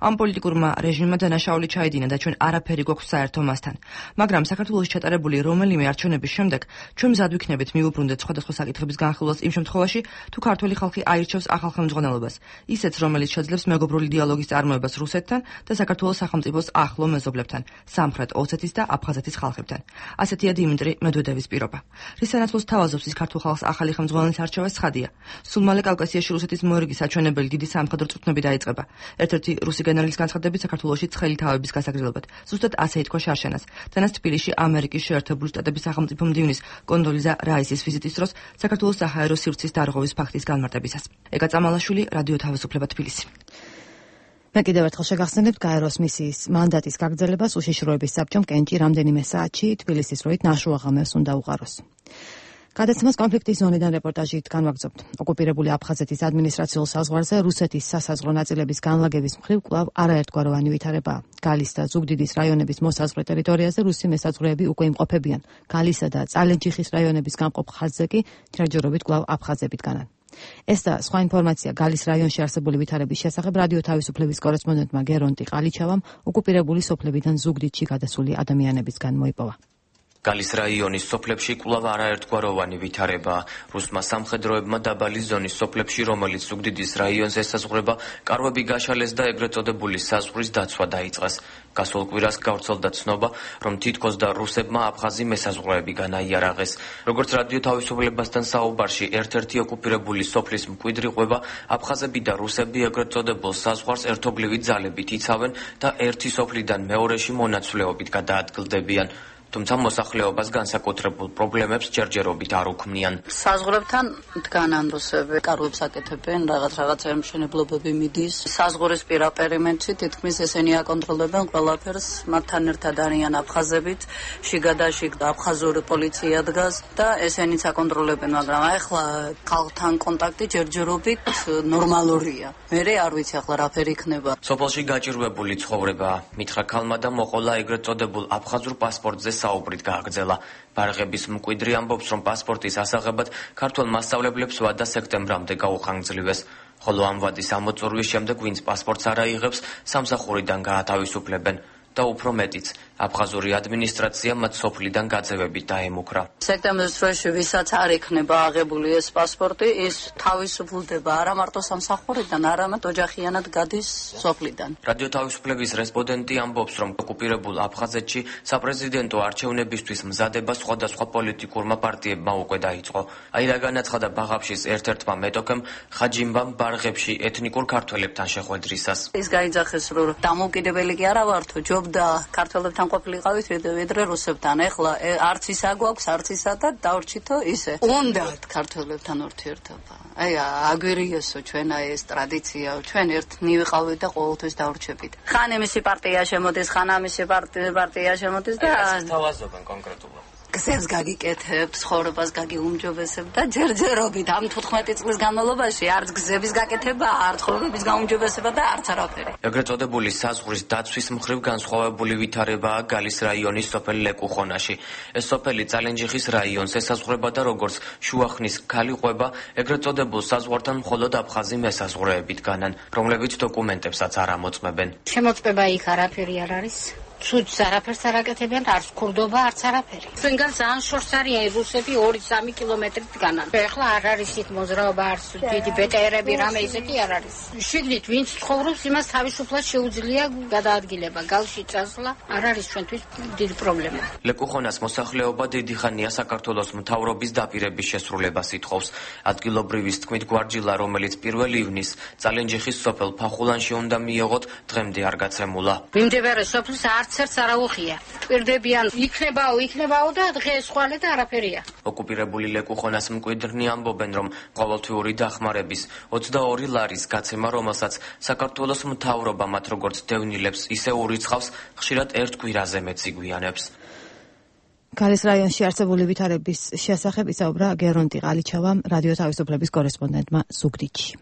ამ პოლიტიკურმა რეჟიმმა დანაშაული ჩაიდინა და ჩვენ არაფერი გვაქვს საერთო მასთან. მაგრამ საქართველოს ჩატარებული რომელიმე არჩევნების შემდეგ ჩვენ მზად ვიქნებით მიუბრუნდეთ სხვადასხვა საკითხების განხილვას იმ შემთხვევაში, თუ ქართველი ხალხი აირჩევს ახალ ხელმძღვანელობას, ისეთს, რომელიც შეძლებს მეგობრული დიალოგის წარმოებას რუსეთთან და საქართველოს სახელმწიფოს ახლო მეზობლებთან, სამხრეთ ოსეთის და აფხაზეთის ხალხებთან. ასეთია დიმიტრი მედვედევის პირობა. რის სანაცვლოდ თავაზობს ის ქართულ ხალხს ახალი ხელმძღვანელის არჩევა ცხადია. სულ მალე კავკასიაში რუსეთის მოერგის საჩვენებელი დიდი სამხედრო წვრთნები დაიწყება. ერთ-ერთი რუსი გენერალის განცხადებით საქართველოში ცხელი თავების გასაგრძელებლად. ზუსტად ასე ითქვა შარშანას. თანაც თბილისში ამერიკის შეერთებული შტატების სახელმწიფო მდივნის კონდოლიზა რაისის ვიზიტის დროს საქართველოს საჰაერო სივრცის დარღვევის ფაქტის განმარტებისას. ეკა წამალაშვილი, რადიო თავისუფლება, თბილისი. მე კიდევ ერთხელ შეგახსენებთ გაეროს მისიის მანდატის გაგრძელებას უშიშროების საბჭომ კენჭი რამდენიმე საათში თბილისის როით ნაშუაღამევს უნდა უყაროს. გადაცემას კონფლიქტის ზონიდან რეპორტაჟით განვაგრძობთ. ოკუპირებული აფხაზეთის ადმინისტრაციულ საზღვარზე რუსეთის სასაზღვრო ნაწილების განლაგების მხრივ კვლავ არაერთგვაროვანი ვითარებაა. გალის და ზუგდიდის რაიონების მოსაზღვრე ტერიტორიაზე რუსი მესაზღვრეები უკვე იმყოფებიან. გალისა და წალენჯიხის რაიონების გამყოფ ხაზზე კი ჯერჯერობით კვლავ აფხაზები დგანან. ეს და სხვა ინფორმაცია გალის რაიონში არსებული ვითარების შესახებ რადიო თავისუფლების კორესპონდენტმა გერონტი ყალიჩავამ ოკუპირებული სოფლებიდან ზუგდიდში გადასული ადამიანებისგან მოიპოვა. გალის რაიონის სოფლებში კვლავ არაერთგვაროვანი ვითარებაა. რუსმა სამხედროებმა დაბალი ზონის სოფლებში, რომელიც ზუგდიდის რაიონს ესაზღვრება, კარვები გაშალეს და ეგრეთ წოდებული საზღვრის დაცვა დაიწყეს. გასულ კვირას გავრცელდა ცნობა, რომ თითქოს და რუსებმა აფხაზი მესაზღვრეები განაიარაღეს. როგორც რადიო თავისუფლებასთან საუბარში ერთ-ერთი ოკუპირებული სოფლის მკვიდრი ყვება, აფხაზები და რუსები ეგრეთ წოდებულ საზღვარს ერთობლივი ძალებით იცავენ და ერთი სოფლიდან მეორეში მონაცვლეობით გადაადგილდებიან. თუმცა მოსახლეობას განსაკუთრებულ პრობლემებს ჯერჯერობით არ უქმნიან. საზღვრებთან დგანან რუსები, კარვებს აკეთებენ, რაღაც რაღაცა მშენებლობები მიდის. საზღვრის პირა პერიმეტრში თითქმის ესენი აკონტროლებენ ყველაფერს, მათთან ერთად არიან აფხაზებიც, შიგადაშიგ აფხაზური პოლიცია დგას და ესენიც აკონტროლებენ, მაგრამ ახლა ხალხთან კონტაქტი ჯერჯერობით ნორმალურია. მე არ ვიცი ახლა რაფერი იქნება. სოფელში გაჭირვებული ცხოვრებაა. მითხრა ქალმა და მოყოლა ეგრეთ წოდებულ აფხაზურ პასპორტზე საუბრით გააგრძელა. ბარღების მკვიდრი ამბობს, რომ პასპორტის ასაღებად ქართველ მასწავლებლებს ვადა სექტემბრამდე გაუხანგრძლივეს. ხოლო ამ ვადის ამოწურვის შემდეგ, ვინც პასპორტს არ აიღებს, სამსახურიდან გაათავისუფლებენ. და უფრო მეტიც, აფხაზური ადმინისტრაცია მათ სოფლიდან გაძევებით დაემუქრა. სექტემბრის დროში ვისაც არ იქნება აღებული ეს პასპორტი, ის თავისუფლდება არა მარტო სამსახურიდან, არამედ ოჯახიანად გადის სოფლიდან. რადიო თავისუფლების რესპონდენტი ამბობს, რომ ოკუპირებულ აფხაზეთში საპრეზიდენტო არჩევნებისთვის მზადება სხვადასხვა პოლიტიკურმა პარტიებმა უკვე დაიწყო. აი რა განაცხადა ბაღაფშის ერთ-ერთმა მეტოქემ ხაჯიმბამ ბარღებში ეთნიკურ ქართველებთან შეხვედრისას. ის გაიძახეს, რომ დამოუკიდებელი კი არა ვართო, და ქართველებთან ყოფილიყავით ვიდრე რუსებთან. ეხლა არც ისა გვაქვს, არც ისა და დავრჩითო ისე. უნდათ ქართველებთან ურთიერთობა. აი აგვერიესო ჩვენ აი ეს ტრადიცია, ჩვენ ერთნი ვიყავით და ყოველთვის დავრჩებით. ხან იმისი პარტია შემოდის, ხან ამისი პარტია შემოდის და ეს თავაზობენ კონკრეტულად. გზებს გაგიკეთებთ, ცხოვრებას გაგიუმჯობესებთ და ჯერჯერობით ამ თოთხმეტი წლის განმავლობაში არც გზების გაკეთება, არც ცხოვრების გაუმჯობესება და არც არაფერი. ეგრეთ წოდებული საზღვრის დაცვის მხრივ განსხვავებული ვითარებაა გალის რაიონის სოფელ ლეკუხონაში. ეს სოფელი წალენჯიხის რაიონს ესაზღვრება და როგორც შუახნის ქალი ყვება, ეგრეთ წოდებულ საზღვართან მხოლოდ აფხაზი მესაზღვრეებით განან, რომლებიც დოკუმენტებსაც არ ამოწმებენ. შემოწმება იქ არაფერი არ არის. ცუდს არაფერს არ აკეთებენ, არც ქურდობა, არც არაფერი. ჩვენგან ძალიან შორს არიან რუსები ორი სამი კილომეტრით დგანან. ეხლა არ არის იქ მოძრაობა, არც დიდი ბეტერები, რამე ისეთი არ არის. შიგნით ვინც ცხოვრობს, იმას თავისუფლად შეუძლია გადაადგილება. გალში წასვლა არ არის ჩვენთვის დიდი პრობლემა. ლეკუხონას მოსახლეობა დიდი ხანია საქართველოს მთავრობის დაპირების შესრულებას ითხოვს. ადგილობრივის თქმით გვარჯილა, რომელიც პირველ ივნისს წალენჯიხის სოფელ ფახულანში უნდა მიეღოთ, დღემდე არ გაცემულა. მიმდებარე სოფლის არც ერთს არ აუხია. ტვირდებიან, იქნებაო, იქნებაო და დღეს ხვალე და არაფერია. ოკუპირებული ლეკუხონას მკვიდრნი ამბობენ, რომ ყოველთვიური დახმარების ოცდაორი ლარის გაცემა, რომელსაც საქართველოს მთავრობა მათ როგორც დევნილებს, ისე ურიცხავს, ხშირად ერთ კვირაზე მეც იგვიანებს. ქალის რაიონში არსებული ვითარების შესახებ ისაუბრა გერონტი ყალიჩავამ რადიო თავისუფლების კორესპონდენტმა ზუგდიდში.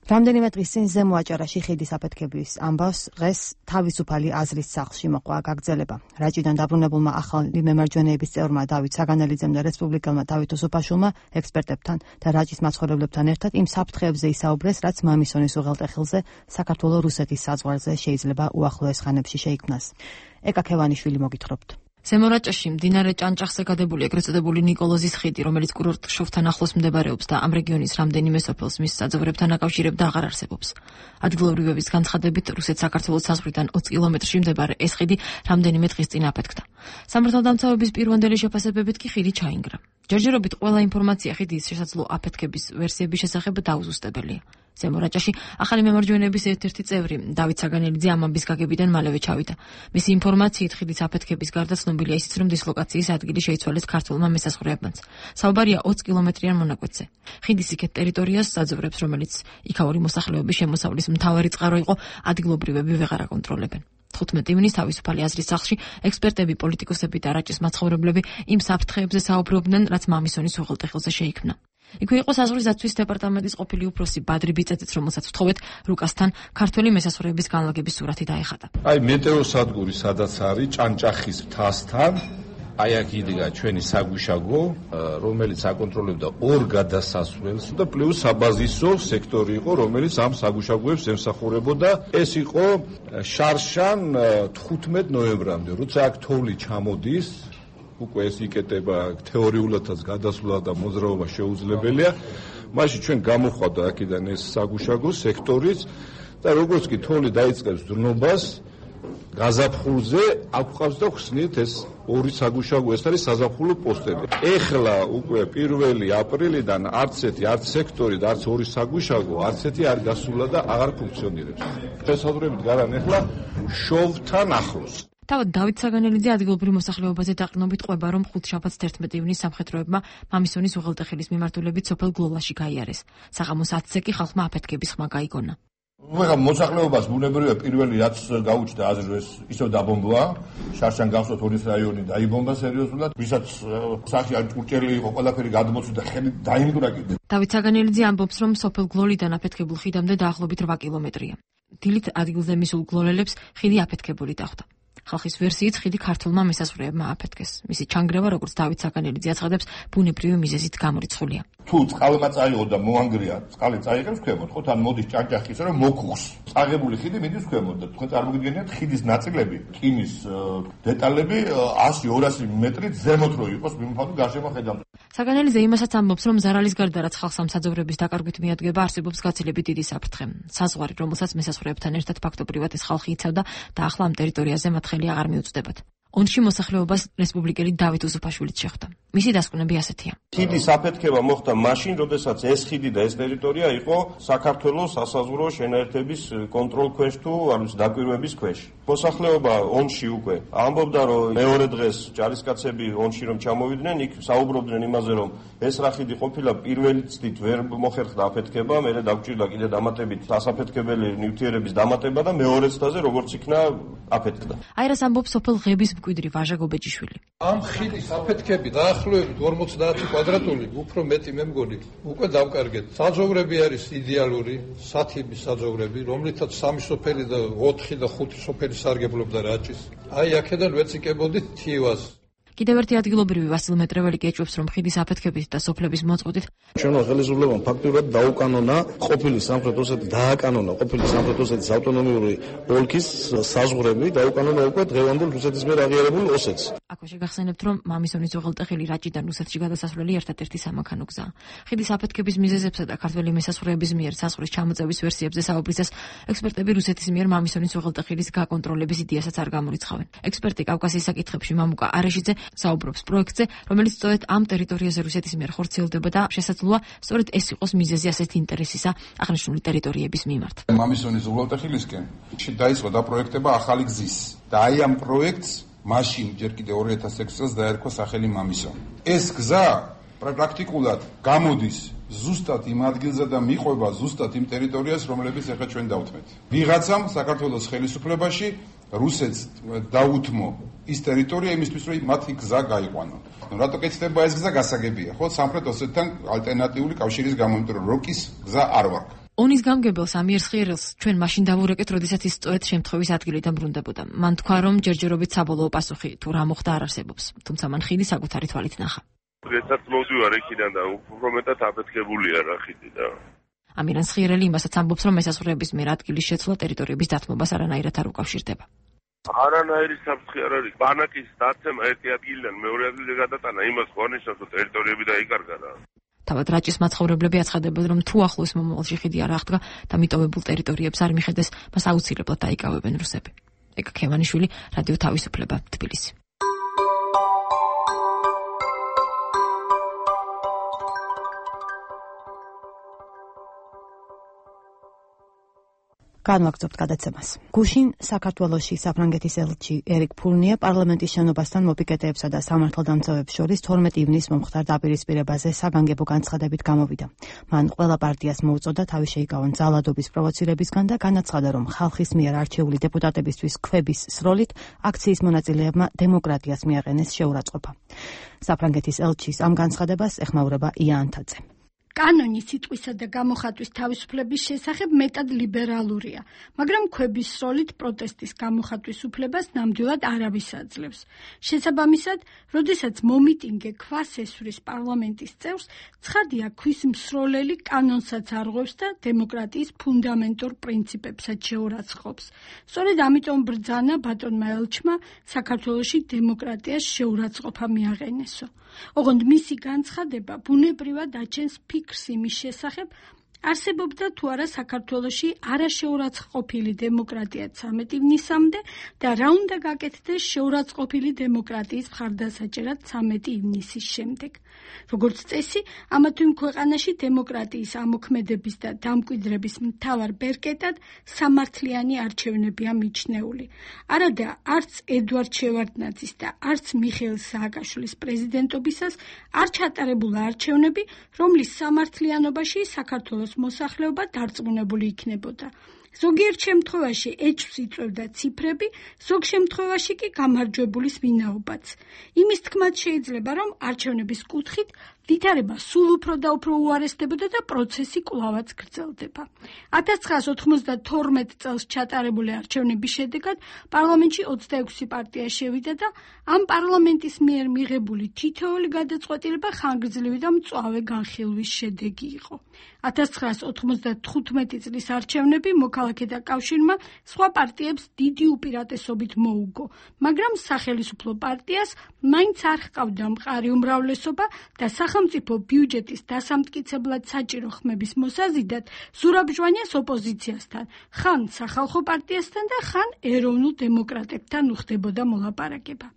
რამდენიმე დღის წინ ზემო აჭარაში ხიდის აფეთქების ამბავს დღეს თავისუფალი აზრის სახლში მოყვა გაგრძელება. რაჭიდან დაბრუნებულმა ახალი მემარჯვენეების წევრმა დავით საგანელიძემ და რესპუბლიკელმა დავით უსუფაშვილმა ექსპერტებთან და რაჭის მაცხოვრებლებთან ერთად იმ საფრთხეებზე ისაუბრეს, რაც მამისონის უღელტეხილზე საქართველო-რუსეთის საზღვარზე შეიძლება უახლოეს ხანებში შეიქმნას. ეკა ქევანიშვილი მოგითხრობთ. ზემორაჭაში მდინარე ჭანჭახზე გადებული ეგრეთ წოდებული ნიკოლოზის ხიდი, რომელიც კურორტ-შოვთან ახლოს მდებარეობს და ამ რეგიონის რამდენიმე სოფელს მის საძოვრებთან აკავშირებდა, აღარ არსებობს. ადგილობრივების განცხადებით, რუსეთ-საქართველოს საზღვრიდან ოცი კილომეტრში მდებარე ეს ხიდი რამდენიმე დღის წინ აფეთქდა. სამართალდამცავების პირვანდელი შეფასებებით კი ხიდი ჩაინგრა. ჯერჯერობით ყველა ინფორმაცია ხიდის შესაძლო აფეთქების ვერსიების შესახებ დაუზუსტებელია. ზემორაჭაში ახალი მემარჯვენეების ერთ-ერთი წევრი დავით საგანელიძე ამ ამბის გაგებიდან მალევე ჩავიდა. მისი ინფორმაციით ხიდის აფეთქების გარდა ცნობილია ისიც, რომ დისლოკაციის ადგილი შეიცვალეს ქართველმა მესაზღვრეებმაც. საუბარია ოცი კილომეტრიან მონაკვეთზე. ხიდის იქეთ ტერიტორიას საძოვრებს, რომელიც იქაური მოსახლეობის შემოსავლის მთავარი წყარო იყო, ადგილობრივები ვეღარ აკონტროლებენ. თხუთმეტი ივნის თავისუფალი აზრის სახლში ექსპერტები, პოლიტიკოსები და რაჭის მაცხოვრებლები იმ საფრთხეებზე საუბრობდნენ, რაც მამისონის უღელტეხილზე შეიქმნა. იქვე იყო საზღვრის დაცვის დეპარტამენტის ყოფილი უფროსი ბადრი ბიწეძეც, რომელსაც ვთხოვეთ რუკასთან ქართველი მესასროების განლაგების სურათი დაეხატა. აი მეტეოსადგური სადაც არის ჭანჭახის მთასთან, აი აქ იდგა ჩვენი საგუშაგო, რომელიც აკონტროლებდა ორ გადასასვლელს და პლუს საბაზისო სექტორი იყო, რომელიც ამ საგუშაგოებს ემსახურებოდა. ეს იყო შარშან თხუთმეტ ნოემბრამდე, როცა აქ თოვლი ჩამოდის, უკვე ეს იკეტება თეორიულადაც გადასვლა და მოძრაობა შეუძლებელია. მაშინ ჩვენ გამოხვდა აქედან ეს საგუშაგო სექტორიც და როგორც კი თოვლი დაიწყებს დნობას, გაზაფხულზე აქვყავს და ხსნით ეს ორი საგუშაგო, ეს არის საზაფხულო პოსტები. ეხლა უკვე პირველი აპრილიდან არც ერთი, არც სექტორი და არც ორი საგუშაგო, არც ერთი არ გასულა და აღარ ფუნქციონირებს. შესაძლებლობით გარან ეხლა შოვთან ახლოს. თავად დავით საგანელიძე ადგილობრივ მოსახლეობაზე დაყრდნობით ყვება, რომ ხუთშაბათს თერთმეტი ივნის სამხედროებმა მამისონის უღელტეხილის მიმართულებით სოფელ გლოლაში გაიარეს. საღამოს ათზე კი ხალხმა აფეთქების ხმა გაიგონა. ეხლა მოსახლეობას ბუნებრივია პირველი რაც გაუჩნდა აზრს, ისევ დაბომბვა, შარშან გავსვათ ორი რაიონი დაიბომბა სერიოზულად, ვისაც სახი არ ჭურჭელი იყო, ყველაფერი გადმოცვი და ხელი დაიმდვრა კიდე. დავით საგანელიძე ამბობს, რომ სოფელ გლოლიდან აფეთქებულ ხიდამდე დაახლოებით რვა კილომეტრია. დილით ადგილზე მისულ გლოლელებს ხიდი აფეთქებული დახვდა. ხალხის ვერსიით ხიდი ქართულმა მესაზღვრეებმა აფეთქეს. მისი ჩანგრევა, როგორც დავით საგანელიძე აცხადებს, ბუნებრივი მიზეზით გამორიცხულია. თუ წყალმა წაიღო და მოანგრია, წყალი წაიღებს ქვემოთ, ხო თან მოდის ჭანჭახისა რომ მოკუხს. წაღებული ხიდი მიდის ქვემოთ და თქვენ წარმოგიდგენიათ ხიდის ნაწილები, რკინის დეტალები ასი ორასი მეტრით ზემოთ რო იყოს მიმოფანტო გარშემო ხედავთ. საგანელიძე იმასაც ამბობს, რომ ზარალის გარდა რაც ხალხს ამ საძოვრების დაკარგვით მიადგება, არსებობს გაცილებით დიდი საფრთხე. საზღვარი, რომელსაც მესაზღვრეებთან ერთად ფაქტობრივად ეს ხალხი იცავდა და ახლა ამ ტერიტორიაზე მათ ხელი აღარ მიუწვდებათ. ონში მოსახლეობას რესპუბლიკელი დავით უსუფაშვილიც შეხვდა. მისი დასკვნები ასეთია. ხიდის აფეთქება მოხდა მაშინ, როდესაც ეს ხიდი და ეს ტერიტორია იყო საქართველოს სასაზღვრო შენაერთების კონტროლ ქვეშ თუ არის დაკვირვების ქვეშ. მოსახლეობა ონში უკვე ამბობდა, რომ მეორე დღეს ჯარისკაცები ონში რომ ჩამოვიდნენ, იქ საუბრობდნენ იმაზე, რომ ეს რა ხიდი ყოფილა პირველი წლით ვერ მოხერხდა აფეთქება, მერე დაგჭირდა კიდე დამატებით ასაფეთქებელი ნივთიერების დამატება და მეორე წლაზე როგორც იქნა აფეთქდა. აი რას ამბობს სოფელ ღების მკვიდრი ვაჟა გობეჯიშვილი. ამ ხიდის აფეთქები დაახლოებით ორმოცდაათი კვადრატული, უფრო მეტი მე მგონი, უკვე დავკარგეთ. საძოვრები არის იდეალური, სათიბის საძოვრები, რომლითაც სამი სოფელი და ოთხი და ხუთი სოფელი სარგებლობდა რაჭის. აი აქედან ვეციკებოდით თივას. კიდევ ერთი ადგილობრივი ვასილ მეტრეველი კი ეჭვებს, რომ ხიდის აფეთქებით და სოფლების მოწყვეტით ჩვენმა ხელისუფლებამ ფაქტურად დაუკანონა ყოფილი სამხრეთ ოსეთის დააკანონა ყოფილი სამხრეთ osეთის ავტონომიური ოლქის საზღვრები, დაუკანონა უკვე დღევანდელ რუსეთის მიერ აღიარებულ ოსეთს. აქვე შეგახსენებთ, რომ მამისონის უღელტეხილი რაჭიდან რუსეთში გადასასვლელი ერთადერთი სამანქანო გზაა. ხიდის აფეთქების მიზეზებსა და ქართველი მესასროების მიერ საზღვრის ჩამოწევის ვერსიებზე საუბრისას ექსპერტები რუსეთის მიერ მამისონის უღელტეხილის გაკონტროლების იდეასაც არ გამორიცხავენ. ექსპერტი კავკასიის საკითხებში მამუკა არეშიძე საუბრობს პროექტზე, რომელიც სწორედ ამ ტერიტორიაზე რუსეთის მიერ ხორციელდება და შესაძლოა სწორედ ეს იყოს მიზეზი ასეთი ინტერესისა აღნიშნული ტერიტორიების მიმართ. მამისონის უღელტეხილისკენ დაიწყო დაპროექტება ახალი გზის და აი ამ პროექტს მაშინ ჯერ კიდე ორი ათას ექვსი წელს დაერქვა სახელი მამისონი. ეს გზა პრაქტიკულად გამოდის ზუსტად იმ ადგილზე და მიყვება ზუსტად იმ ტერიტორიას, რომლებიც ახლა ჩვენ დავთმეთ. ვიღაცამ საქართველოს ხელისუფლებაში რუსეთს დაუთმო ის ტერიტორია იმისთვის, რომ მათი გზა გაიყვანონ. ნუ რატო კეთდება ეს გზა გასაგებია, ხო? სამხრეთ ოსეთთან ალტერნატიული კავშირის გამო, იმიტომ რომ როკის გზა არ ვარგ. ონის გამგებელს ამიერს ხიერელს ჩვენ მაშინ დავურეკეთ, როდესაც ის სწორედ შემთხვევის ადგილიდან ბრუნდებოდა. მან თქვა, რომ ჯერჯერობით საბოლოო პასუხი თუ რა მოხდა არ არსებობს, თუმცა მან ხიდი საკუთარი თვალით ნახა. როდესაც მოვდივარ იქიდან და უფრო მეტად აფეთქებულია რა ხიდი და ამირანს ხიერელი იმასაც ამბობს, რომ მესაზღვრეების მიერ ადგილის შეცვლა ტერიტორიების დათმობას არანაირად არ უკავშირდება. არანაირი საფრთხე არ არის. ბანაკის დაცემა ერთი ადგილიდან მეორე ადგილზე გადატანა იმას ხო ნიშნავს, რომ ტერიტორიები დაიკარგა რა. თავად რაჭის მაცხოვრებლები აცხადებენ, რომ თუ ახლოს მომავალში ხიდი არ აღდგა და მიტოვებულ ტერიტორიებს არ მიხედეს, მას აუცილებლად დაიკავებენ რუსები. ეკა ქევანიშვილი, რადიო თავისუფლება, თბილისი. განვაგრძობთ გადაცემას. გუშინ საქართველოში საფრანგეთის ელჩი ერიკ ფურნია პარლამენტის შენობასთან მოპიკეტეებსა და სამართალდამცავებს შორის თორმეტი ივნისს მომხდარ დაპირისპირებაზე საგანგებო განცხადებით გამოვიდა. მან ყველა პარტიას მოუწოდა თავი შეიკავონ ძალადობის პროვოცირებისგან და განაცხადა, რომ ხალხის მიერ არჩეული დეპუტატებისთვის ქვების სროლით აქციის მონაწილეებმა დემოკრატიას მიაყენეს შეურაცხყოფა. საფრანგეთის ელჩის ამ განცხადებას ეხმაურება ია ანთაძე. კანონი სიტყვისა და გამოხატვის თავისუფლების შესახებ მეტად ლიბერალურია, მაგრამ ქვების სროლით პროტესტის გამოხატვის უფლებას ნამდვილად არავის აძლევს. შესაბამისად, როდესაც მომიტინგე ქვას ესვრის პარლამენტის წევრს, ცხადია ქვის მსროლელი კანონსაც არღვევს და დემოკრატიის ფუნდამენტურ პრინციპებსაც შეურაცხყოფს. სწორედ ამიტომ ბრძანა ბატონმა ელჩმა საქართველოში დემოკრატიას შეურაცხყოფა მიაყენესო. ოღონდ მისი განცხადება ბუნებრივად აჩენს ფიქრს იმის შესახებ, არსებობდა თუ არა საქართველოში არაშეურაცხყოფილი დემოკრატია ცამეტი ივნისამდე და რა უნდა გაკეთდეს შეურაცხყოფილი დემოკრატიის მხარდასაჭერად ცამეტი ივნისის შემდეგ. როგორც წესი, ამა თუ იმ ქვეყანაში დემოკრატიის ამოქმედების და დამკვიდრების მთავარ ბერკეტად სამართლიანი არჩევნებია მიჩნეული. არადა არც ედვარდ შევარდნაძის და არც მიხეილ სააკაშვილის პრეზიდენტობისას არ ჩატარებულა არჩევნები, რომლის სამართლიანობაში საქართველოს მოსახლეობა დარწმუნებული იქნებოდა. ზოგიერთ შემთხვევაში ეჭვს იწვევდა ციფრები, ზოგ შემთხვევაში კი გამარჯვებულის ვინაობაც. იმის თქმაც შეიძლება, რომ არჩევნების კუთხით ვითარება სულ უფრო და უფრო უარესდებოდა და პროცესი კვლავაც გრძელდება. ათას ცხრაას ოთხმოცდათორმეტ წელს ჩატარებული არჩევნების შედეგად პარლამენტში ოცდაექვსი პარტია შევიდა და ამ პარლამენტის მიერ მიღებული თითოეული გადაწყვეტილება ხანგრძლივი და მწვავე განხილვის შედეგი იყო. ათას ცხრაას ოთხმოცდათხუთმეტი წლის არჩევნები მოქალაქეთა კავშირმა სხვა პარტიებს დიდი უპირატესობით მოუგო, მაგრამ სახელისუფლო პარტიას მაინც არ ჰყავდა მყარი უმრავლესობა და სახელმწიფო ბიუჯეტის დასამტკიცებლად საჭირო ხმების მოსაზიდად ზურაბჟვანიას ოპოზიციასთან, ხან სახალხო პარტიასთან და ხან ეროვნულ დემოკრატებთან უხდებოდა მოლაპარაკება.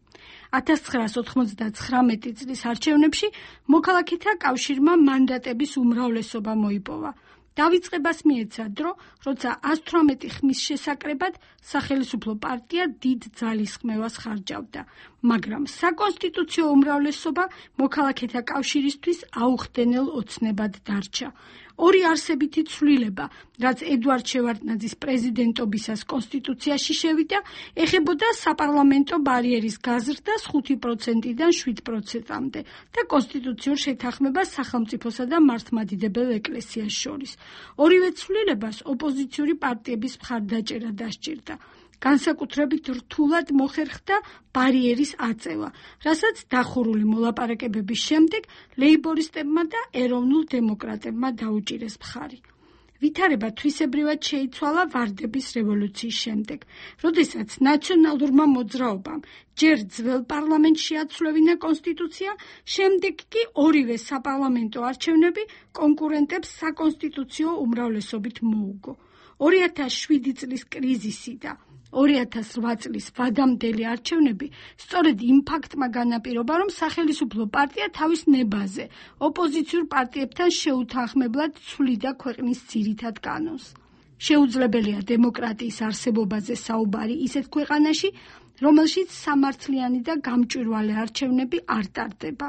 ათას ცხრაას ოთხმოცდაცხრამეტი წლის არჩევნებში მოქალაქეთა კავშირმა მანდატების უმრავლესობა მოიპოვა. დავიწყებას მიეცა დრო, როცა ას თვრამეტი ხმის შესაკრებად სახელისუფლო პარტია დიდ ძალისხმევას ხარჯავდა, მაგრამ საკონსტიტუციო უმრავლესობა მოქალაქეთა კავშირისთვის აუხდენელ ოცნებად დარჩა. ორი არსებითი ცვლილება, რაც ედვარდ შევარდნაძის პრეზიდენტობისას კონსტიტუციაში შევიდა, ეხებოდა საპარლამენტო ბარიერის გაზრდას ხუთი პროცენტიდან შვიდ პროცენტამდე და კონსტიტუციურ შეთანხმებას სახელმწიფოსა და მართლმადიდებელ ეკლესიას შორის. ორივე ცვლილებას ოპოზიციური პარტიების მხარდაჭერა დასჭირდა. განსაკუთრებით რთულად მოხერხდა ბარიერის აწევა, რასაც დახურული მოლაპარაკებების შემდეგ ლეიბორისტებმა და ეროვნულ დემოკრატებმა დაუჭირეს მხარი. ვითარება თვისებრივად შეიცვალა ვარდების რევოლუციის შემდეგ, როდესაც ნაციონალურმა მოძრაობამ ჯერ ძველ პარლამენტში შეაცვლევინა კონსტიტუცია, შემდეგ კი ორივე საპარლამენტო არჩევნები კონკურენტებს საკონსტიტუციო უმრავლესობით მოუგო. ორი ათას შვიდი წლის კრიზისი და ორი ათას რვა წლის ვადამდელი არჩევნები სწორედ იმ ფაქტმა განაპირობა, რომ სახელისუფლო პარტია თავის ნებაზე ოპოზიციურ პარტიებთან შეუთანხმებლად ცვლიდა ქვეყნის ძირითად კანონს. შეუძლებელია დემოკრატიის არსებობაზე საუბარი ისეთ ქვეყანაში, რომელშიც სამართლიანი და გამჭვირვალე არჩევნები არ ტარდება.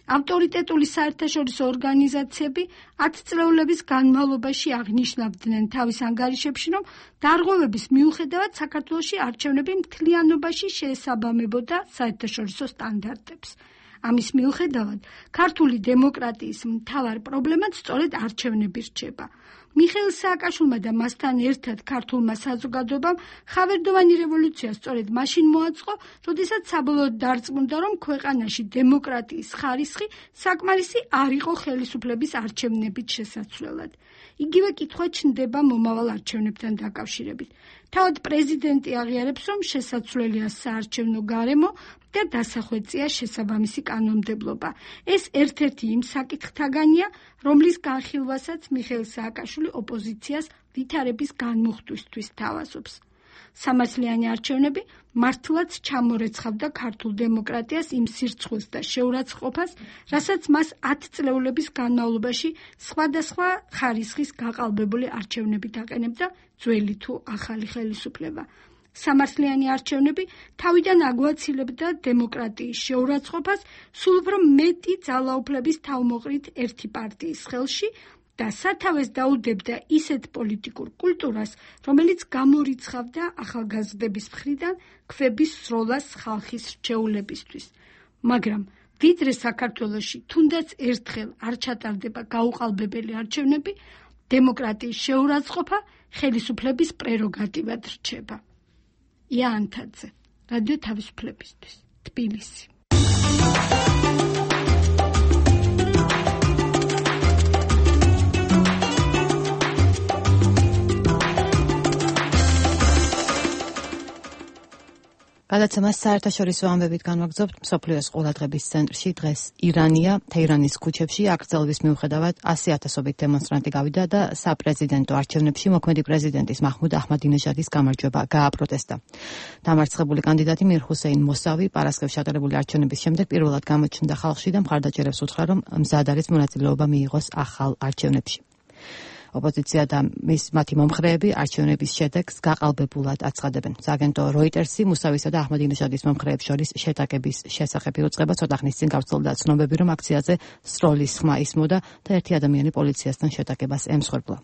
ავტორიტეტული საერთაშორისო ორგანიზაციები ათწლეულების განმავლობაში აღნიშნავდნენ თავის ანგარიშებში, რომ დარღვევების მიუხედავად საქართველოში არჩევნები მთლიანობაში შეესაბამებოდა საერთაშორისო სტანდარტებს. ამის მიუხედავად, ქართული დემოკრატიის მთავარ პრობლემად სწორედ არჩევნები რჩება. მიხეილ სააკაშვილმა და მასთან ერთად ქართულმა საზოგადოებამ ხავერდოვანი რევოლუცია სწორედ მაშინ მოაწყო, როდესაც საბოლოოდ დარწმუნდა, რომ ქვეყანაში დემოკრატიის ხარისხი საკმარისი არ იყო ხელისუფლების არჩევნებით შესაცვლელად. იგივე კითხვა ჩნდება მომავალ არჩევნებთან დაკავშირებით. თავად პრეზიდენტი აღიარებს, რომ შესაცვლელია საარჩევნო გარემო და დასახვეწია შესაბამისი კანონმდებლობა. ეს ერთ-ერთი იმ საკითხთაგანია, რომლის განხილვასაც მიხეილ სააკაშვილი ოპოზიციას ვითარების განმუხტვისთვის თავაზობს. სამართლიანი არჩევნები მართლაც ჩამორეცხავდა ქართულ დემოკრატიას იმ სირცხვილს და შეურაცხყოფას, რასაც მას ათწლეულების განმავლობაში სხვადასხვა ხარისხის გაყალბებული არჩევნებით აყენებდა ძველი თუ ახალი ხელისუფლება. სამართლიანი არჩევნები თავიდან აგვაცილებდა დემოკრატიის შეურაცხყოფას სულ უფრო მეტი ძალაუფლების თავმოყრით ერთი პარტიის ხელში და სათავეს დაუდებდა ისეთ პოლიტიკურ კულტურას, რომელიც გამორიცხავდა ახალგაზრდების მხრიდან ქვების სროლას ხალხის რჩეულებისთვის. მაგრამ ვიდრე საქართველოში თუნდაც ერთხელ არ ჩატარდება გაუყალბებელი არჩევნები, დემოკრატიის შეურაცხყოფა ხელისუფლების პრეროგატივად რჩება. ია ანთაძე, რადიო თავისუფლებისთვის, თბილისი. გადაცემას საერთაშორისო ამბებით განვაგრძობთ მსოფლიოს ყურადღების ცენტრში. დღეს ირანია, თეირანის ქუჩებში აკრძალვის მიუხედავად ასი ათასობით დემონსტრანტი გავიდა და საპრეზიდენტო არჩევნებში მოქმედი პრეზიდენტის მაჰმუდ აჰმადინეჟადის გამარჯვება გააპროტესტა. დამარცხებული კანდიდატი მირ ჰუსეინ მოსავი პარასკევს ჩატარებული არჩევნების შემდეგ პირველად გამოჩნდა ხალხში და მხარდაჭერებს უთხრა, რომ მზად არის მონაწილეობა მიიღოს ახალ არჩევნებში. ოპოზიცია და მის მათი მომხრეები არჩევნების შედეგს გაყალბებულად აცხადებენ. სააგენტო როიტერსი მუსავისა და აჰმადინეჟადის მომხრეებს შორის შეტაკების შესახებ იუწყება ცოტა ხნის წინ გავრცელდა ცნობები, რომ აქციაზე სროლის ხმა ისმოდა და ერთი ადამიანი პოლიციასთან შეტაკებას ემსხვერპლა.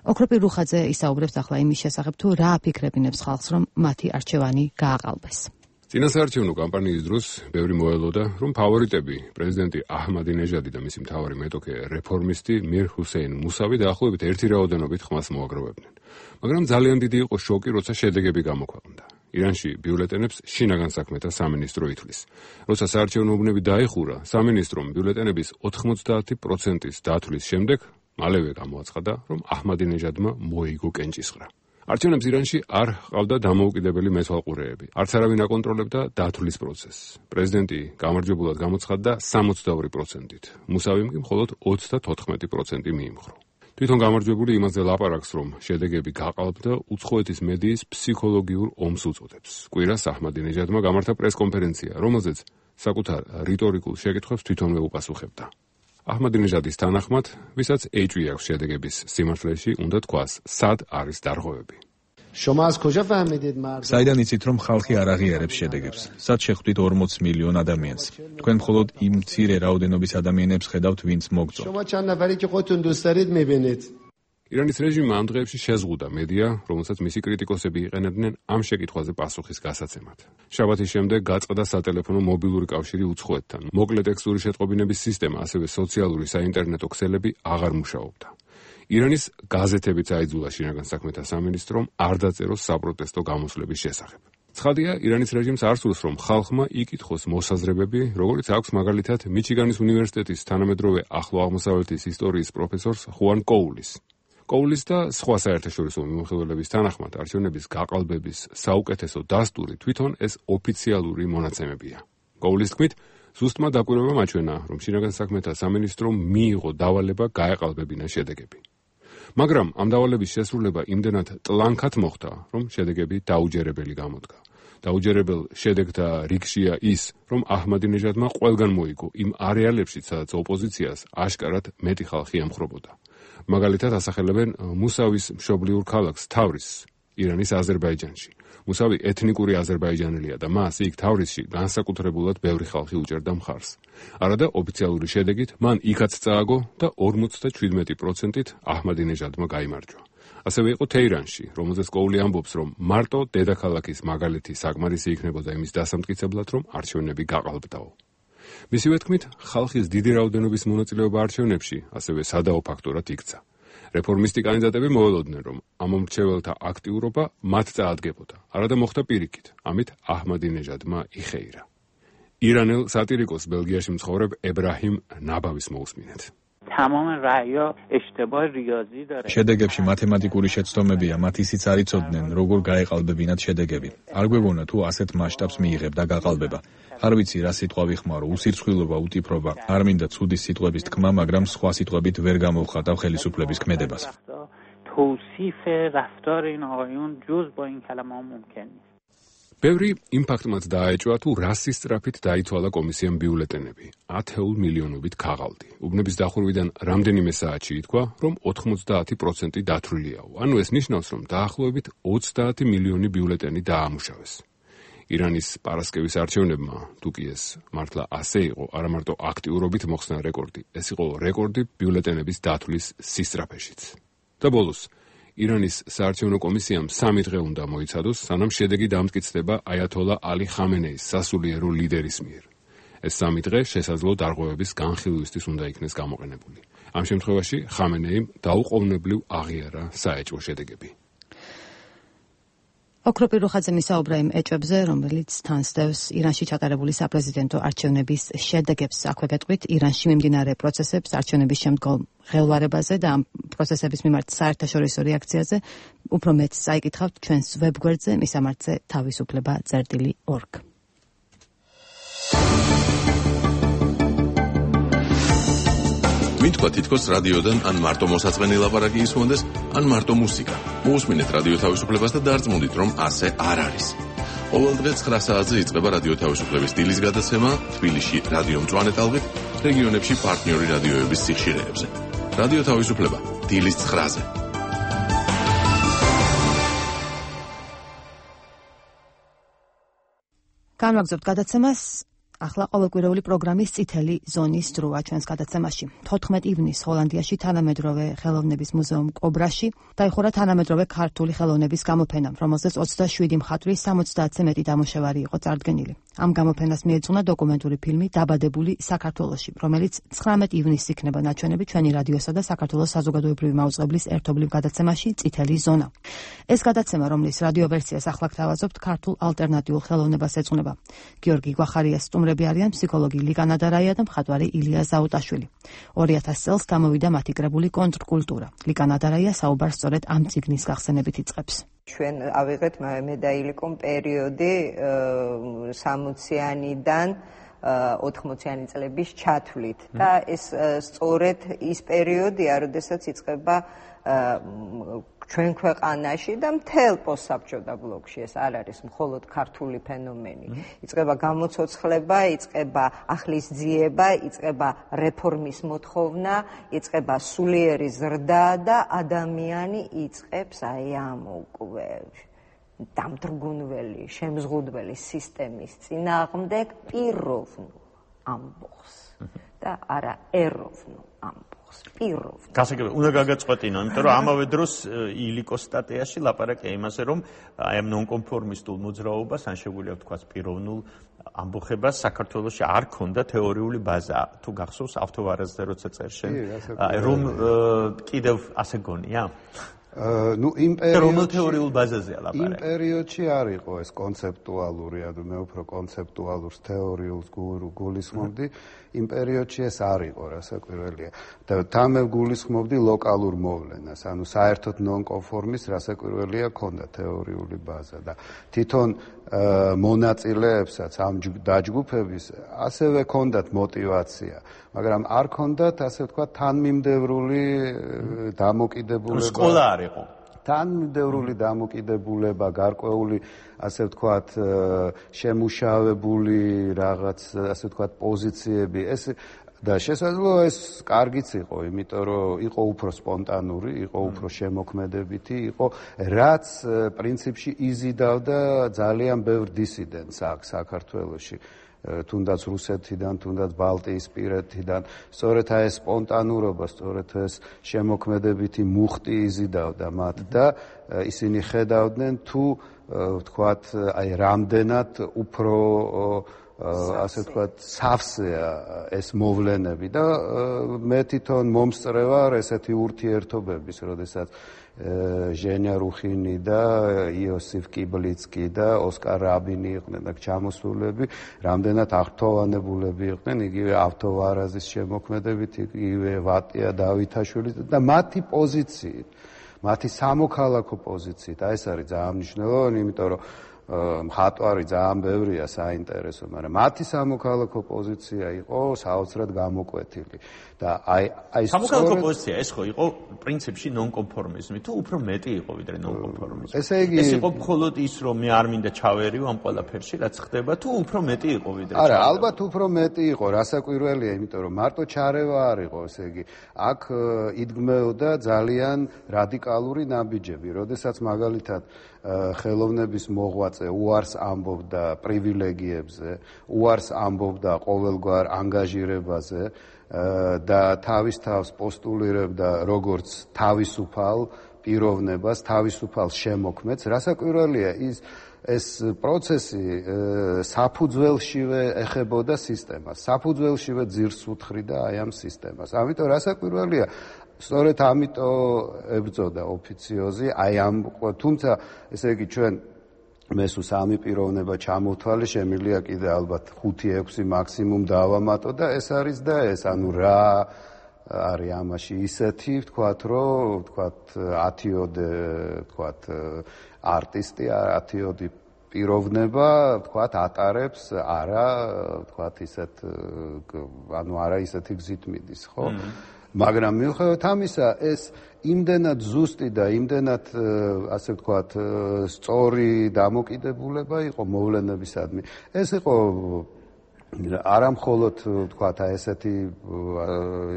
ოქროპირ რუხაძე ისაუბრებს ახლა იმის შესახებ, თუ რა აფიქრებინებს ხალხს, რომ მათი არჩევანი გააყალბეს. წინასაარჩევნო კამპანიის დროს ბევრი მოელოდა, რომ ფავორიტები პრეზიდენტი აჰმადინეჟადი და მისი მთავარი მეტოქე რეფორმისტი მირ ჰუსეინ მუსავი დაახლოებით ერთი რაოდენობით ხმას მოაგროვებდნენ. მაგრამ ძალიან დიდი იყო შოკი, როცა შედეგები გამოქვეყნდა. ირანში ბიულეტენებს შინაგან საქმეთა სამინისტრო ითვლის. როცა საარჩევნო უბნები დაიხურა, სამინისტრომ ბიულეტენების ოთხმოცდაათი პროცენტის დათვლის შემდეგ მალევე გამოაცხადა, რომ აჰმადინეჟადმა მოიგო კენჭისყრა. არჩევნებს ირანში არ ჰყავდა დამოუკიდებელი მეთვალყურეები. არც არავინ აკონტროლებდა დათვლის პროცესს. პრეზიდენტი გამარჯვებულად გამოცხადდა სამოცდაორი პროცენტით. მუსავიმ კი მხოლოდ ოცდათოთხმეტი პროცენტი მიიმხრო. თვითონ გამარჯვებული იმაზე ლაპარაკს, რომ შედეგები გაყალბდა უცხოეთის მედიის ფსიქოლოგიურ ომს უწოდებს. კვირას აჰმადინეჟადმა გამართა პრესკონფერენცია, რომელზეც საკუთარ რიტორიკულ შეკითხვებს თვითონვე უპასუხებდა. აჰმადინეჟადის თანახმად, ვისაც ეჭვი აქვს შედეგების სიმართლეში, უნდა თქვას, სად არის დარღვევები. საიდან იცით, რომ ხალხი არ აღიარებს შედეგებს? სად შეხვდით ორმოც მილიონ ადამიანს? თქვენ მხოლოდ იმ მცირე რაოდენობის ადამიანებს ხედავთ, ვინც მოგწონთ. ირანის რეჟიმმა ამ დღეებში შეზღუდა მედია, რომელსაც მისი კრიტიკოსები იყენებდნენ ამ შეკითხვაზე პასუხის გასაცემად. შაბათის შემდეგ გაწყდა სატელეფონო მობილური კავშირი უცხოეთთან. მოკლე ტექსტური შეტყობინების სისტემა, ასევე სოციალური საინტერნეტო ქსელები აღარ მუშაობდა. ირანის გაზეთებიც აიძულა შინაგან საქმეთა სამინისტრომ არ დაწეროს საპროტესტო გამოსვლების შესახებ. ცხადია, ირანის რეჟიმს არ სურს, რომ ხალხმა იკითხოს მოსაზრებები, როგორც აქვს მაგალითად მიჩიგანის უნივერსიტეტის თანამედროვე ახლო აღმოსავლეთის ისტორიის პროფესორს ხუან კოულის. კოულის და სხვა საერთაშორისო მიმოხილველების თანახმად არჩევნების გაყალბების საუკეთესო დასტური თვითონ ეს ოფიციალური მონაცემებია. კოულის თქმით, ზუსტმა დაკვირვებამ აჩვენა, რომ შინაგან საქმეთა სამინისტრომ მიიღო დავალება გაეყალბებინა შედეგები. მაგრამ ამ დავალების შესრულება იმდენად ტლანქად მოხდა, რომ შედეგები დაუჯერებელი გამოდგა. დაუჯერებელ შედეგთა რიგშია ის, რომ აჰმადინეჟადმა ყველგან მოიგო იმ არეალებში, სადაც ოპოზიციას აშკარად მეტი ხალხი ემხრობოდა. მაგალითად ასახელებენ მუსავის მშობლიურ ქალაქს თავრისს, ირანის აზერბაიჯანში. მუსავი ეთნიკური აზერბაიჯანელია და მას იქ თავრისში განსაკუთრებულად ბევრი ხალხი უჭერდა მხარს. არადა ოფიციალური შედეგით მან იქაც წააგო და ორმოცდაჩვიდმეტი პროცენტით აჰმადინეჟადმა გაიმარჯვა. ასევე იყო თეირანში, რომელზეც კოული ამბობს, რომ მარტო დედაქალაქის მაგალითი საკმარისი იქნებოდა იმის დასამტკიცებლად, რომ არჩევნები გაყალბდაო. მისივე თქმით, ხალხის დიდი რაოდენობის მონაწილეობა არჩევნებში ასევე სადაო ფაქტორად იქცა. რეფორმისტი კანდიდატები მოველოდნენ, რომ ამ მომრჩეველთა აქტიურობა მათ წაადგებოდა. არადა მოხდა პირიქით, ამით აჰმადინეჟადმა იხეირა. ირანელ სატირიკოს ბელგიაში მცხოვრებ ებრაჰიმ ნაბავის მოусმინეთ. تمام رأی‌ها اشتباه ریاضی داره. შედეგებში მათემატიკური შეცდომებია, მათ ისიც არ იცოდნენ, როგორ გაეყალბებინათ შედეგები. არ გვეგონა თუ ასეთ მასშტაბს მიიღებდა გაყალბება. არ ვიცი რა სიტყვა ვიხმარო, უსირცხვილობა, უტიპრობა. არ მინდა ცუდი სიტყვების თქმა, მაგრამ სხვა სიტყვებით ვერ გამოვხატავ ხელისუფლების ქმედებას. توصیف رفتار این آقایون جز با این کلمه ممکن نیست. ბევრი იმ ფაქტმაც დააეჭვა, თუ რასის სწრაფით დაითვალა კომისიამ ბიულეტენები. ათეულ მილიონობით ქაღალდი. უბნების დახურვიდან რამდენიმე საათში ითქვა, რომ ოთხმოცდაათი პროცენტი დათვლილიაო. ანუ ეს ნიშნავს, რომ დაახლოებით ოცდაათი მილიონი ბიულეტენი დაამუშავეს. ირანის პარასკევის არჩევნებმა, თუ კი ეს მართლა ასე იყო, არა მარტო აქტიურობით მოხსნა რეკორდი, ეს იყო რეკორდი ბიულეტენების დათვლის სისწრაფეშიც. და ბოლოს ირანის საარჩევნო კომისიამ სამი დღე უნდა მოიცადოს, სანამ შედეგი დამტკიცდება აიათოლა ალი ხამენეის სასულიერო ლიდერის მიერ. ეს სამი დღე შესაძლო დარღვევების განხილვისთვის უნდა იქნეს გამოყენებული. ამ შემთხვევაში ხამენეიმ დაუყოვნებლივ აღიარა საეჭვო შედეგები. ოქროპირ რუხაძე მისაუბრა იმ ეჭვებზე, რომელიც თან სდევს ირანში ჩატარებული საპრეზიდენტო არჩევნების შედეგებს. აქვე გეტყვით, ირანში მიმდინარე პროცესებს, არჩევნების შემდგომ ხელვარებაზე და ამ პროცესების მიმართ საერთაშორისო რეაქციაზე უფრო მეტს წაიკითხავთ ჩვენს ვებგვერდზე მისამართზე თავისუფლება წერტილი ორგ. მითქვა თითქოს რადიოდან ან მარტო მოსაწყენი ლაპარაკი ისმონდეს, ან მარტო მუსიკა. მოусმინეთ რადიო თავისუფლებას და დარწმუნდით, რომ ასე არ არის. ყოველ დღე ცხრა საათზე იწყება რადიო თავისუფლების დილის გადაცემა თბილისში რადიო მწვანე ტალღით, რეგიონებში პარტნიორი რადიოების სიხშირეებზე. რადიო თავისუფლება დილის ცხრაზე. განვაგრძობთ გადაცემას. ახლა ყოველკვირეული პროგრამის წითელი ზონის დროა ჩვენს გადაცემაში. თოთხმეტი ივნისს ჰოლანდიაში თანამედროვე ხელოვნების მუზეუმ კობრაში დაიხურა თანამედროვე ქართული ხელოვნების გამოფენა, რომელზეც ოცდაშვიდი მხატვრის სამოცდაათზე მეტი დამუშავარი იყო წარდგენილი. ამ გამოფენას მიეძღვნა დოკუმენტური ფილმი „დაბადებული საქართველოში“, რომელიც ცხრამეტი ივნისს იქნება ნაჩვენები ჩვენი რადიოსა და საქართველოს საზოგადოებრივი მაუწყებლის ერთობლივ გადაცემაში წითელი ზონა. ეს გადაცემა, რომლის რადიო ვერსიას ახლა გთავაზობთ, ქართულ ალტერნატიულ ხელოვნებას ეძღვნება. გიორგი გვახარიას სტუმრები არიან ფსიქოლოგი ლიკა ნადარაია და მხატვარი ილია ზაუტაშვილი. ორი ათასი წელს გამოვიდა მათი კრებული კონტრკულტურა. ლიკა ნადარაია საუბარს სწორედ ამ წიგნის გახსენებით იწყებს. ჩვენ ავიღეთ მე და ილიკომ პერიოდი სამოციანიდან ოთხმოციანი წლების ჩათვლით და ეს სწორედ ის პერიოდია, როდესაც იწყება ჩვენ ქვეყანაში და მთელ პოსტსაბჭოთა ბლოკში, ეს არ არის მხოლოდ ქართული ფენომენი. იწყება გამოცოცხლება, იწყება ახლისძიება, იწყება რეფორმის მოთხოვნა, იწყება სულიერი ზრდა და ადამიანი იწყებს აი ამ უკვე დამძრგუნველი, შემზღუდველი სისტემის წინააღმდეგ პიროვნულ ამბოხს და არა ეროვნულ ამბოხს. პიროვნულ. გასაგებია, უნდა გაგაწყვეტინო, იმიტომ რომ ამავე დროს ილიკოს სტატიაში ლაპარაკია იმაზე, რომ აი ამ ნონკონფორმისტულ მოძრაობას, ან შეგვიძლია ვთქვათ პიროვნულ ამბოხებას საქართველოში არ ქონდა თეორიული ბაზა. თუ გახსოვს ავთოვარაზზე როცა წერშენ, რომ კიდევ ასე გონია? ну იმ პერიოდში რომელ თეორიულ ბაზაზეა ლაპარაკი? იმ პერიოდში არ იყო ეს კონცეპტუალური, ანუ მე უფრო კონცეპტუალურს თეორიულს გულისხმობდი. იმ პერიოდში ეს არ იყო, რასაკვირველია. და თან მე გულისხმობდი ლოკალურ მოვლენას, ანუ საერთოდ ნონკონფორმის რასაკვირველია ქონდა თეორიული ბაზა და თვითონ მონაწილეებსაც ამ დაჯგუფების ასევე ქონდათ мотиваცია, მაგრამ არ ქონდათ ასე ვთქვათ თანმიმდევრული დამოკიდებულება. სკოლა არ იყო. თანმიმდევრული დამოკიდებულება, გარკვეული ასე ვთქვათ შემუშავებული რაღაც ასე ვთქვათ პოზიციები, ეს და შესაძლოა ეს კარგიც იყო, იმიტომ რომ იყო უფრო სპონტანური, იყო უფრო შემოქმედებითი, იყო რაც პრინციპში იზიდავდა ძალიან ბევრ დისიდენტს აქ საქართველოში. თუნდაც რუსეთიდან, თუნდაც ბალტიისპირეთიდან, სწორედ აი ეს სპონტანურობა, სწორედ ეს შემოქმედებითი მუხტი იზიდავდა მათ და ისინი ხედავდნენ თუ ვთქვათ, აი რამდენად უფრო ასე ვთქვათ, სავსეა ეს მოვლენები და მე თვითონ მომსწრევარ ესეთი ურთიერთობების, როდესაც ჟენია რუხინი და იოსიფ კიბლიცკი და ოსკარ რაბინი იყვნენ და ჩამოსულები, რამდენად აღფრთოვანებულები იყვნენ, იგივე ავთოვარაზის შემოქმედებით, იგივე ვატია დავითაშვილი და მათი პოზიციით, მათი სამოქალაქო პოზიციით, აი ეს არის ძალიან მნიშვნელოვანი, იმიტომ რომ მხატვარი ძალიან ბევრია საინტერესო, მაგრამ მათი სამოქალაქო პოზიცია იყო საოცრად გამოკვეთილი და აი აი სამოქალაქო პოზიცია ეს ხო იყო პრინციპში ნონკონფორმიზმი თუ უფრო მეტი იყო ვიდრე ნონკონფორმიზმი. ესე იგი ეს იყო მხოლოდ ის რომ მე არ მინდა ჩავერიო ამ ყველაფერში რაც ხდება თუ უფრო მეტი იყო ვიდრე არა, ალბათ უფრო მეტი იყო, რასაკვირველია, იმიტომ რომ მარტო ჩარევა არ იყო, ესე იგი აქ იდგმეოდა ძალიან რადიკალური ნაბიჯები, როდესაც მაგალითად ხელოვნების მოღვაწე უარს ამბობდა პრივილეგიებზე, უარს ამბობდა ყოველგვარ ანგაჟირებაზე და თავის თავს პოსტულირებდა როგორც თავისუფალ პიროვნებას, თავისუფალ შემოქმედს. რასაკვირველია ის ეს პროცესი საფუძველშივე ეხებოდა სისტემას, საფუძველშივე ძირს უთხრიდა აი ამ სისტემას. ამიტომ რასაკვირველია სწორედ ამიტომ ებრძოდა ოფიციოზი აი ამ თუმცა ესე იგი ჩვენ მესუ სამი პიროვნება ჩამოვთვალე, შემიძლია კიდე ალბათ ხუთი ექვსი მაქსიმუმ დავამატო და ეს არის და ეს ანუ რა არის ამაში ისეთი ვთქვათ რომ ვთქვათ ათიოდე ვთქვათ არტისტი ათიოდი პიროვნება ვთქვათ ატარებს არა ვთქვათ ისეთ ანუ არა ისეთი გზით მიდის ხო მაგრამ მიუხედავად ამისა ეს იმდენად ზუსტი და იმდენად ასე ვთქვათ სწორი დამოკიდებულება იყო მოვლენებისადმი ეს იყო არა მხოლოდ ვთქვათ აი ესეთი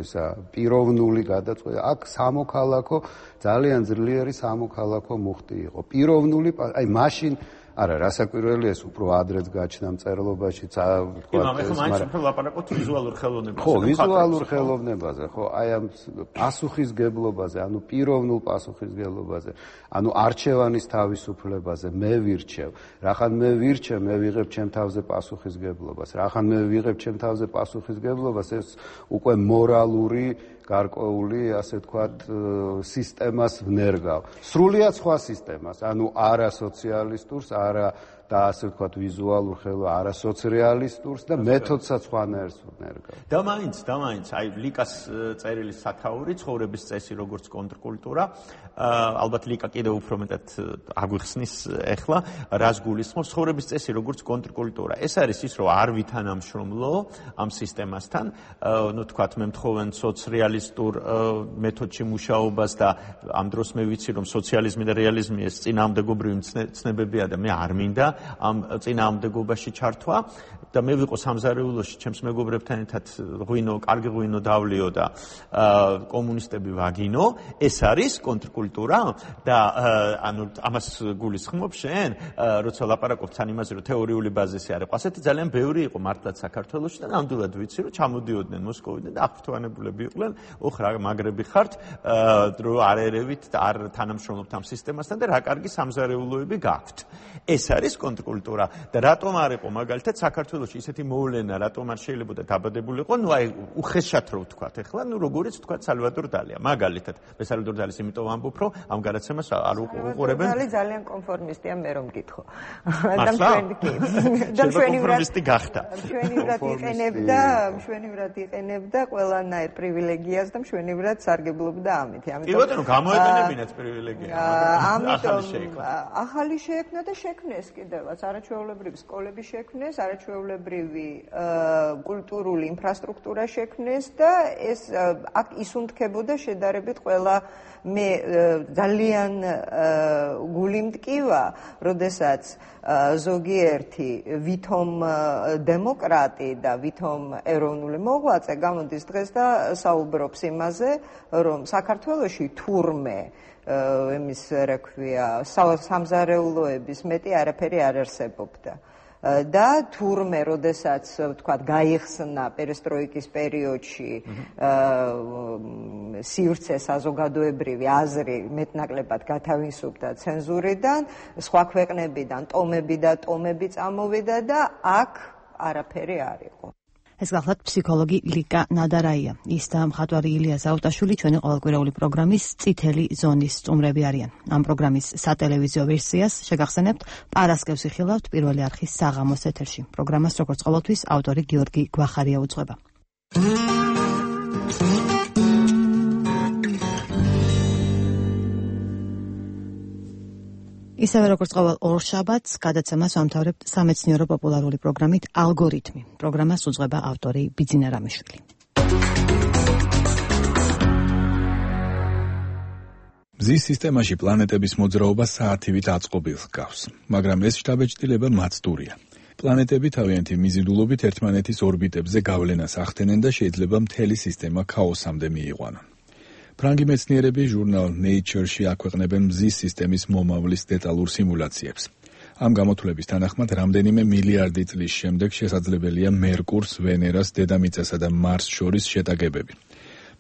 ისა პიროვნული გადაწყვეტა აქ სამოქალაქო ძალიან ძლიერი სამოქალაქო მუხტი იყო პიროვნული აი მაშინ არა, რასაკვირველია ეს უფრო ადრეც გაჩნდა მწერლობაში, ვთქვათ, ეს მაგრამ ხო ლაპარაკობთ ვიზუალურ ხელოვნებაზე. ხო, ვიზუალურ ხელოვნებაზე, ხო, აი ამ პასუხისგებლობაზე, ანუ პიროვნულ პასუხისგებლობაზე, ანუ არჩევანის თავისუფლებაზე, მე ვირჩევ. რახან მე ვირჩევ, მე ვიღებ ჩემ თავზე პასუხისგებლობას. რახან მე ვიღებ ჩემ თავზე პასუხისგებლობას, ეს უკვე მორალური გარკვეული, ასე ვთქვათ, სისტემას ვნერგავ. სრულიად სხვა სისტემას, ანუ არა სოციალისტურს, არა და ასე ვთქვათ ვიზუალურ ხელო არა სოციალისტურს და მეთოდსაც სხვანაირს ვნერგავ. და მაინც, და მაინც, აი ლიკას წერილის სათაური ცხოვრების წესი როგორც კონტრკულტურა, ალბათ ლიკა კიდევ უფრო მეტად აგვიხსნის ახლა, რას გულისხმობს ცხოვრების წესი როგორც კონტრკულტურა. ეს არის ის, რომ არ ვითანამშრომლო ამ სისტემასთან, ну თქვათ მე მთხოვენ სოციალისტურ მეთოდში მუშაობას და ამ დროს მე ვიცი რომ სოციალიზმი და რეალიზმი ეს წინააღმდეგობრივი ცნებებია და მე არ მინდა ამ წინააღმდეგობაში ჩართვა და მე ვიყო სამზარეულოში ჩემს მეგობრებთან ერთად ღვინო, კარგი ღვინო დავლიო და კომუნისტები ვაგინო, ეს არის კონტრკულტურა და ანუ ამას გულისხმობ შენ, როცა ლაპარაკობთ თან იმაზე რომ თეორიული ბაზისი არ იყო, ასეთი ძალიან ბევრი იყო მართლაც საქართველოში და ნამდვილად ვიცი რომ ჩამოდიოდნენ მოსკოვიდან და აღფრთოვანებულები იყვნენ, ოხ რა მაგრები ხართ, რომ არ ერევით და არ თანამშრომლობთ ამ სისტემასთან და რა კარგი სამზარეულოები გაქვთ. ეს არის კონტრკულტურა და რატომ არ იყო მაგალითად საქართველოში ისეთი მოვლენა, რატომ არ შეიძლება დაბადებულიყო, ну აი უხეშად რო ვთქვათ, ახლა ну როგორიც ვთქვათ სალვადორ დალია, მაგალითად, მე სალვადორ დალის იმიტომ ამბობ, რომ ამ გადაცემას არ უყურებენ. დალი ძალიან კონფორმისტია, მე რომ გითხო. და მშვენი კი. და მშვენი კონფორმისტი გახდა. მშვენივრად იყენებდა, მშვენივრად იყენებდა ყველანაირ პრივილეგიას და მშვენივრად სარგებლობდა ამით. ამიტომ კი ბატონო, გამოეყენებინათ პრივილეგია. ამიტომ ახალი შეექმნა და შექმნეს კიდე შემთხვევაშიც არაჩვეულებრივი სკოლები შექმნეს, არაჩვეულებრივი კულტურული ინფრასტრუქტურა შექმნეს და ეს აქ ისუნთქებოდა შედარებით ყველა მე ძალიან გული მტკივა, როდესაც ზოგიერთი ვითომ დემოკრატი და ვითომ ეროვნული მოღვაწე გამოდის დღეს და საუბრობს იმაზე, რომ საქართველოში თურმე ემის რა ქვია სამზარეულოების მეტი არაფერი არ არსებობდა. და თურმე, როდესაც ვთქვათ, გაიხსნა პერესტროიკის პერიოდში სივრცე საზოგადოებრივი აზრი მეტნაკლებად გათავისუფლდა ცენზურიდან, სხვა ქვეყნებიდან ტომები და ტომები წამოვიდა და აქ არაფერი არ იყო. ეს გახლავთ ფსიქოლოგი ლიკა ნადარაია. ის და მხატვარი ილია ზაუტაშვილი ჩვენი ყოველკვირეული პროგრამის წითელი ზონის სტუმრები არიან. ამ პროგრამის სატელევიზიო ვერსიას შეგახსენებთ პარასკევს იხილავთ პირველი არხის საღამოს ეთერში. პროგრამას როგორც ყოველთვის ავტორი გიორგი გვახარია უძღვება. ისევე როგორც ყოველ ორშაბათს გადაცემას ვამთავრებთ სამეცნიერო პოპულარული პროგრამით ალგორითმი. პროგრამას უძღვება ავტორი ბიძინა რამიშვილი. მზის სისტემაში პლანეტების მოძრაობა საათივით აწყობილს გავს, მაგრამ ეს შთაბეჭდილება მაცდურია. პლანეტები თავიანთი მიზიდულობით ერთმანეთის ორბიტებზე გავლენას ახდენენ და შეიძლება მთელი სისტემა ქაოსამდე მიიყვანონ. ფრანგი მეცნიერები ჟურნალ Nature-ში აქვეყნებენ მზის სისტემის მომავლის დეტალურ სიმულაციებს. ამ გამოთვლების თანახმად, რამდენიმე მილიარდი წლის შემდეგ შესაძლებელია მერკურს, ვენერას, დედამიწასა და მარსს შორის შეტაკებები.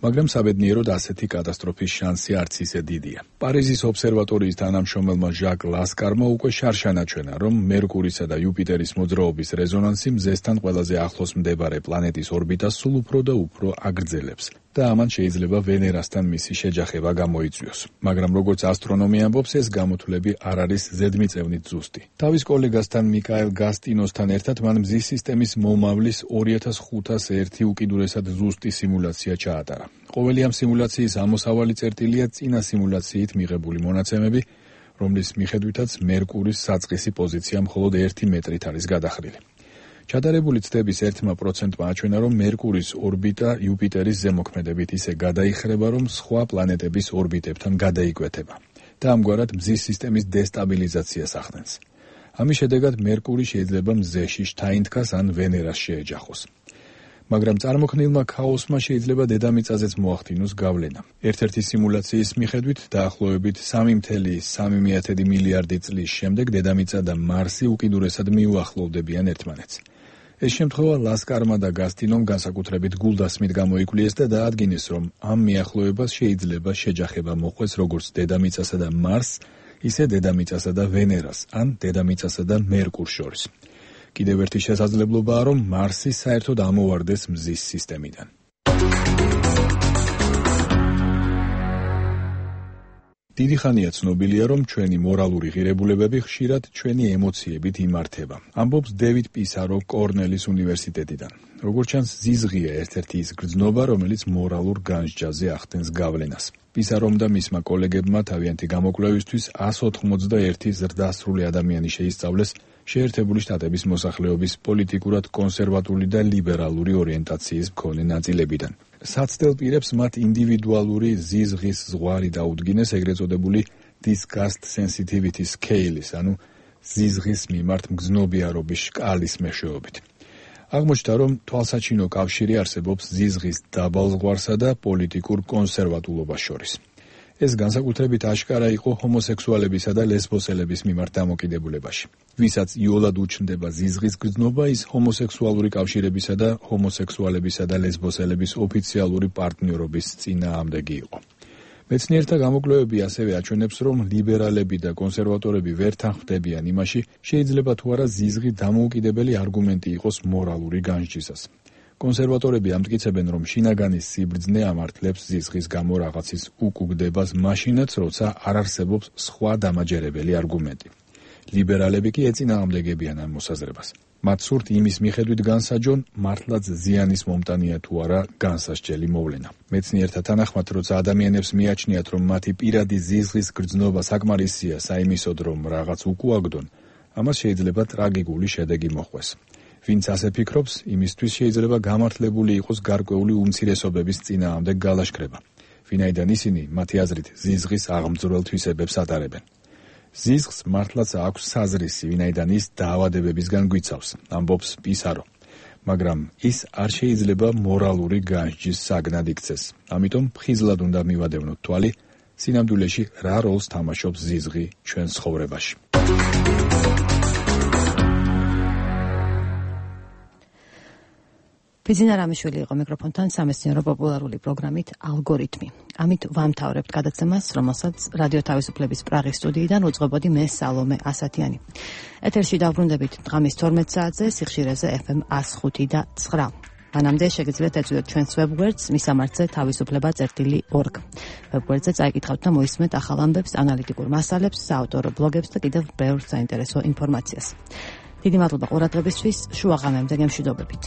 მაგრამ საბედნიეროდ ასეთი კატასტროფის შანსი არც ისე დიდია. პარიზის ობსერვატორიის თანამშრომელმა ჟაკ ლასკარმა უკვე შარშან აჩვენა, რომ მერკურისა და იუპიტერის მოძრაობის რეზონანსი მზესთან ყველაზე ახლოს მდებარე პლანეტის ორბიტას სულ უფრო და უფრო აგრძელებს. და ამან შეიძლება ვენერასთან მისი შეჯახება გამოიწვიოს. მაგრამ როგორც ასტრონომი ამბობს, ეს გამოთვლები არ არის ზედმიწევნით ზუსტი. თავის კოლეგასთან მიკაელ გასტინოსთან ერთად მან მზის სისტემის მომავლის ორი ათას ხუთას ერთი უკიდურესად ზუსტი სიმულაცია ჩაატარა. ყოველი ამ სიმულაციის ამოსავალი წერტილია წინა სიმულაციით მიღებული მონაცემები, რომლის მიხედვითაც მერკურის საწყისი პოზიცია მხოლოდ ერთი მეტრით არის გადახრილი. ჩატარებული ცდების ერთმა პროცენტმა აჩვენა, რომ მერკურის ორბიტა იუპიტერის ზემოქმედებით ისე გადაიხრება, რომ სხვა პლანეტების ორბიტებთან გადაიკვეთება და ამგვარად მზის სისტემის დესტაბილიზაციას ახდენს. ამის შედეგად მერკური შეიძლება მზეში შთაინთქას ან ვენერას შეეჯახოს. მაგრამ წარმოქმნილმა ქაოსმა შეიძლება დედამიწაზეც მოახდინოს გავლენა. ერთ-ერთი სიმულაციის მიხედვით დაახლოებით სამი ათეული სამი მილიარდი წლის შემდეგ დედამიწა და მარსი უკიდურესად მიუახლოვდებიან ერთმანეთს. ეს შემთხვევა ლასკარმა და გასტინომ განსაკუთრებით გულდასმით გამოიკვლიეს და დაადგინეს, რომ ამ მიახლოებას შეიძლება შეჯახება მოხვდეს როგორც დედამიწასა და მარსს, ისე დედამიწასა და ვენერას, ან დედამიწასა და მერკურს შორის. კიდევ ერთი შესაძლებლობაა, რომ მარსი საერთოდ ამოვარდეს მზის სისტემიდან. დიდი ხანია ცნობილია, რომ ჩვენი მორალური ღირებულებები ხშირად ჩვენი ემოციებით იმართება. ამბობს დევიდ პისარო კორნელის უნივერსიტეტიდან. როგორც ჩანს, ზიზღია ერთ-ერთი ის გრძნობა, რომელიც მორალურ განსჯაზე ახდენს გავლენას. პისარომ და მისმა კოლეგებმა თავიანთი გამოკვლევისთვის ას ოთხმოცდაერთი ზრდასრული ადამიანი შეისწავლეს შეერთებული შტატების მოსახლეობის პოლიტიკურად კონსერვატული და ლიბერალური ორიენტაციის მქონე ნაწილებიდან. საცდელ პირებს მათ ინდივიდუალური ზიზღის ზღვარი დაუდგინეს ეგრეთ წოდებული disgust sensitivity scale-ის, ანუ ზიზღის მიმართ მგზნობიარობის სკალის მეშვეობით. აღმოჩნდა, რომ თვალსაჩინო კავშირი არსებობს ზიზღის დაბალ ზღვარსა და პოლიტიკურ კონსერვატულობას შორის. ეს განსაკუთრებით აშკარა იყო ჰომოსექსუალებისა და ლესბოსელების მიმართ დამოკიდებულებაში. ვისაც იოლად უჩნდება ზიზღის გრძნობა, ის ჰომოსექსუალური კავშირებისა და ჰომოსექსუალებისა და ლესბოსელების ოფიციალური პარტნიორობის წინააღმდეგი იყო. მეცნიერთა გამოკვლევები ასევე აჩვენებს, რომ ლიბერალები და კონსერვატორები ვერ თანხმდებიან იმაში, შეიძლება თუ არა ზიზღი დამოუკიდებელი არგუმენტი იყოს მორალური განსჯისას. კონსერვატორები ამტკიცებენ, რომ შინაგანის სიბრძნე ამართლებს ზიზღის გამო რაღაცის უკუგდებას მაშინაც, როცა არ არსებობს სხვა დამაჯერებელი არგუმენტი. ლიბერალები კი ეწინააღმდეგებიან ამ მოსაზრებას. მათ სურთ იმის მიხედვით განსაჯონ, მართლაც ზიანის მომტანია თუ არა განსასჯელი მოვლენა. მეცნიერთა თანახმად, როცა ადამიანებს მიაჩნიათ, რომ მათი პირადი ზიზღის გრძნობა საკმარისია საიმისოდ, რომ რაღაც უკუაგდონ, ამას შეიძლება ტრაგიკული შედეგი მოჰყვეს. ვინც ასე ფიქრობს, იმისთვის შეიძლება გამართლებული იყოს გარკვეული უმცირესობების წინააღმდეგ გალაშქრება, ვინაიდან ისინი მათი აზრით ზიზღის აღმძვრელ თვისებებს ატარებენ. ზიზღს მართლაც აქვს საზრისი, ვინაიდან ის დაავადებებისგან გვიცავს, ამბობს პისარო. მაგრამ ის არ შეიძლება მორალური განსჯის საგნად იქცეს. ამიტომ ხიზლად უნდა მივადევნოთ თვალი, სინამდვილეში რა როლს თამაშობს ზიზღი ჩვენ ცხოვრებაში. ბიძინა რამიშვილი იყო მიკროფონთან სამეცნიერო პოპულარული პროგრამით ალგორითმი. ამით ვამთავრებთ გადაცემას, რომელსაც რადიო თავისუფლების პრაღის სტუდიიდან უძღვებოდი მე სალომე ასათიანი. ეთერში დავბრუნდებით დღამის თორმეტ საათზე, სიხშირეზე ეფ ემ one oh five და nine. მანამდე შეგიძლიათ ეწვიოთ ჩვენს ვებგვერდს მისამართზე თავისუფლება წერტილი org. ვებგვერდზე წაიკითხავთ და მოისმენთ ახალ ამბებს, ანალიტიკურ მასალებს, საავტორო ბლოგებს და კიდევ ბევრ საინტერესო ინფორმაციას. დიდი მადლობა ყურადღებისთვის, შუა ღამემდე გემშვიდობებით.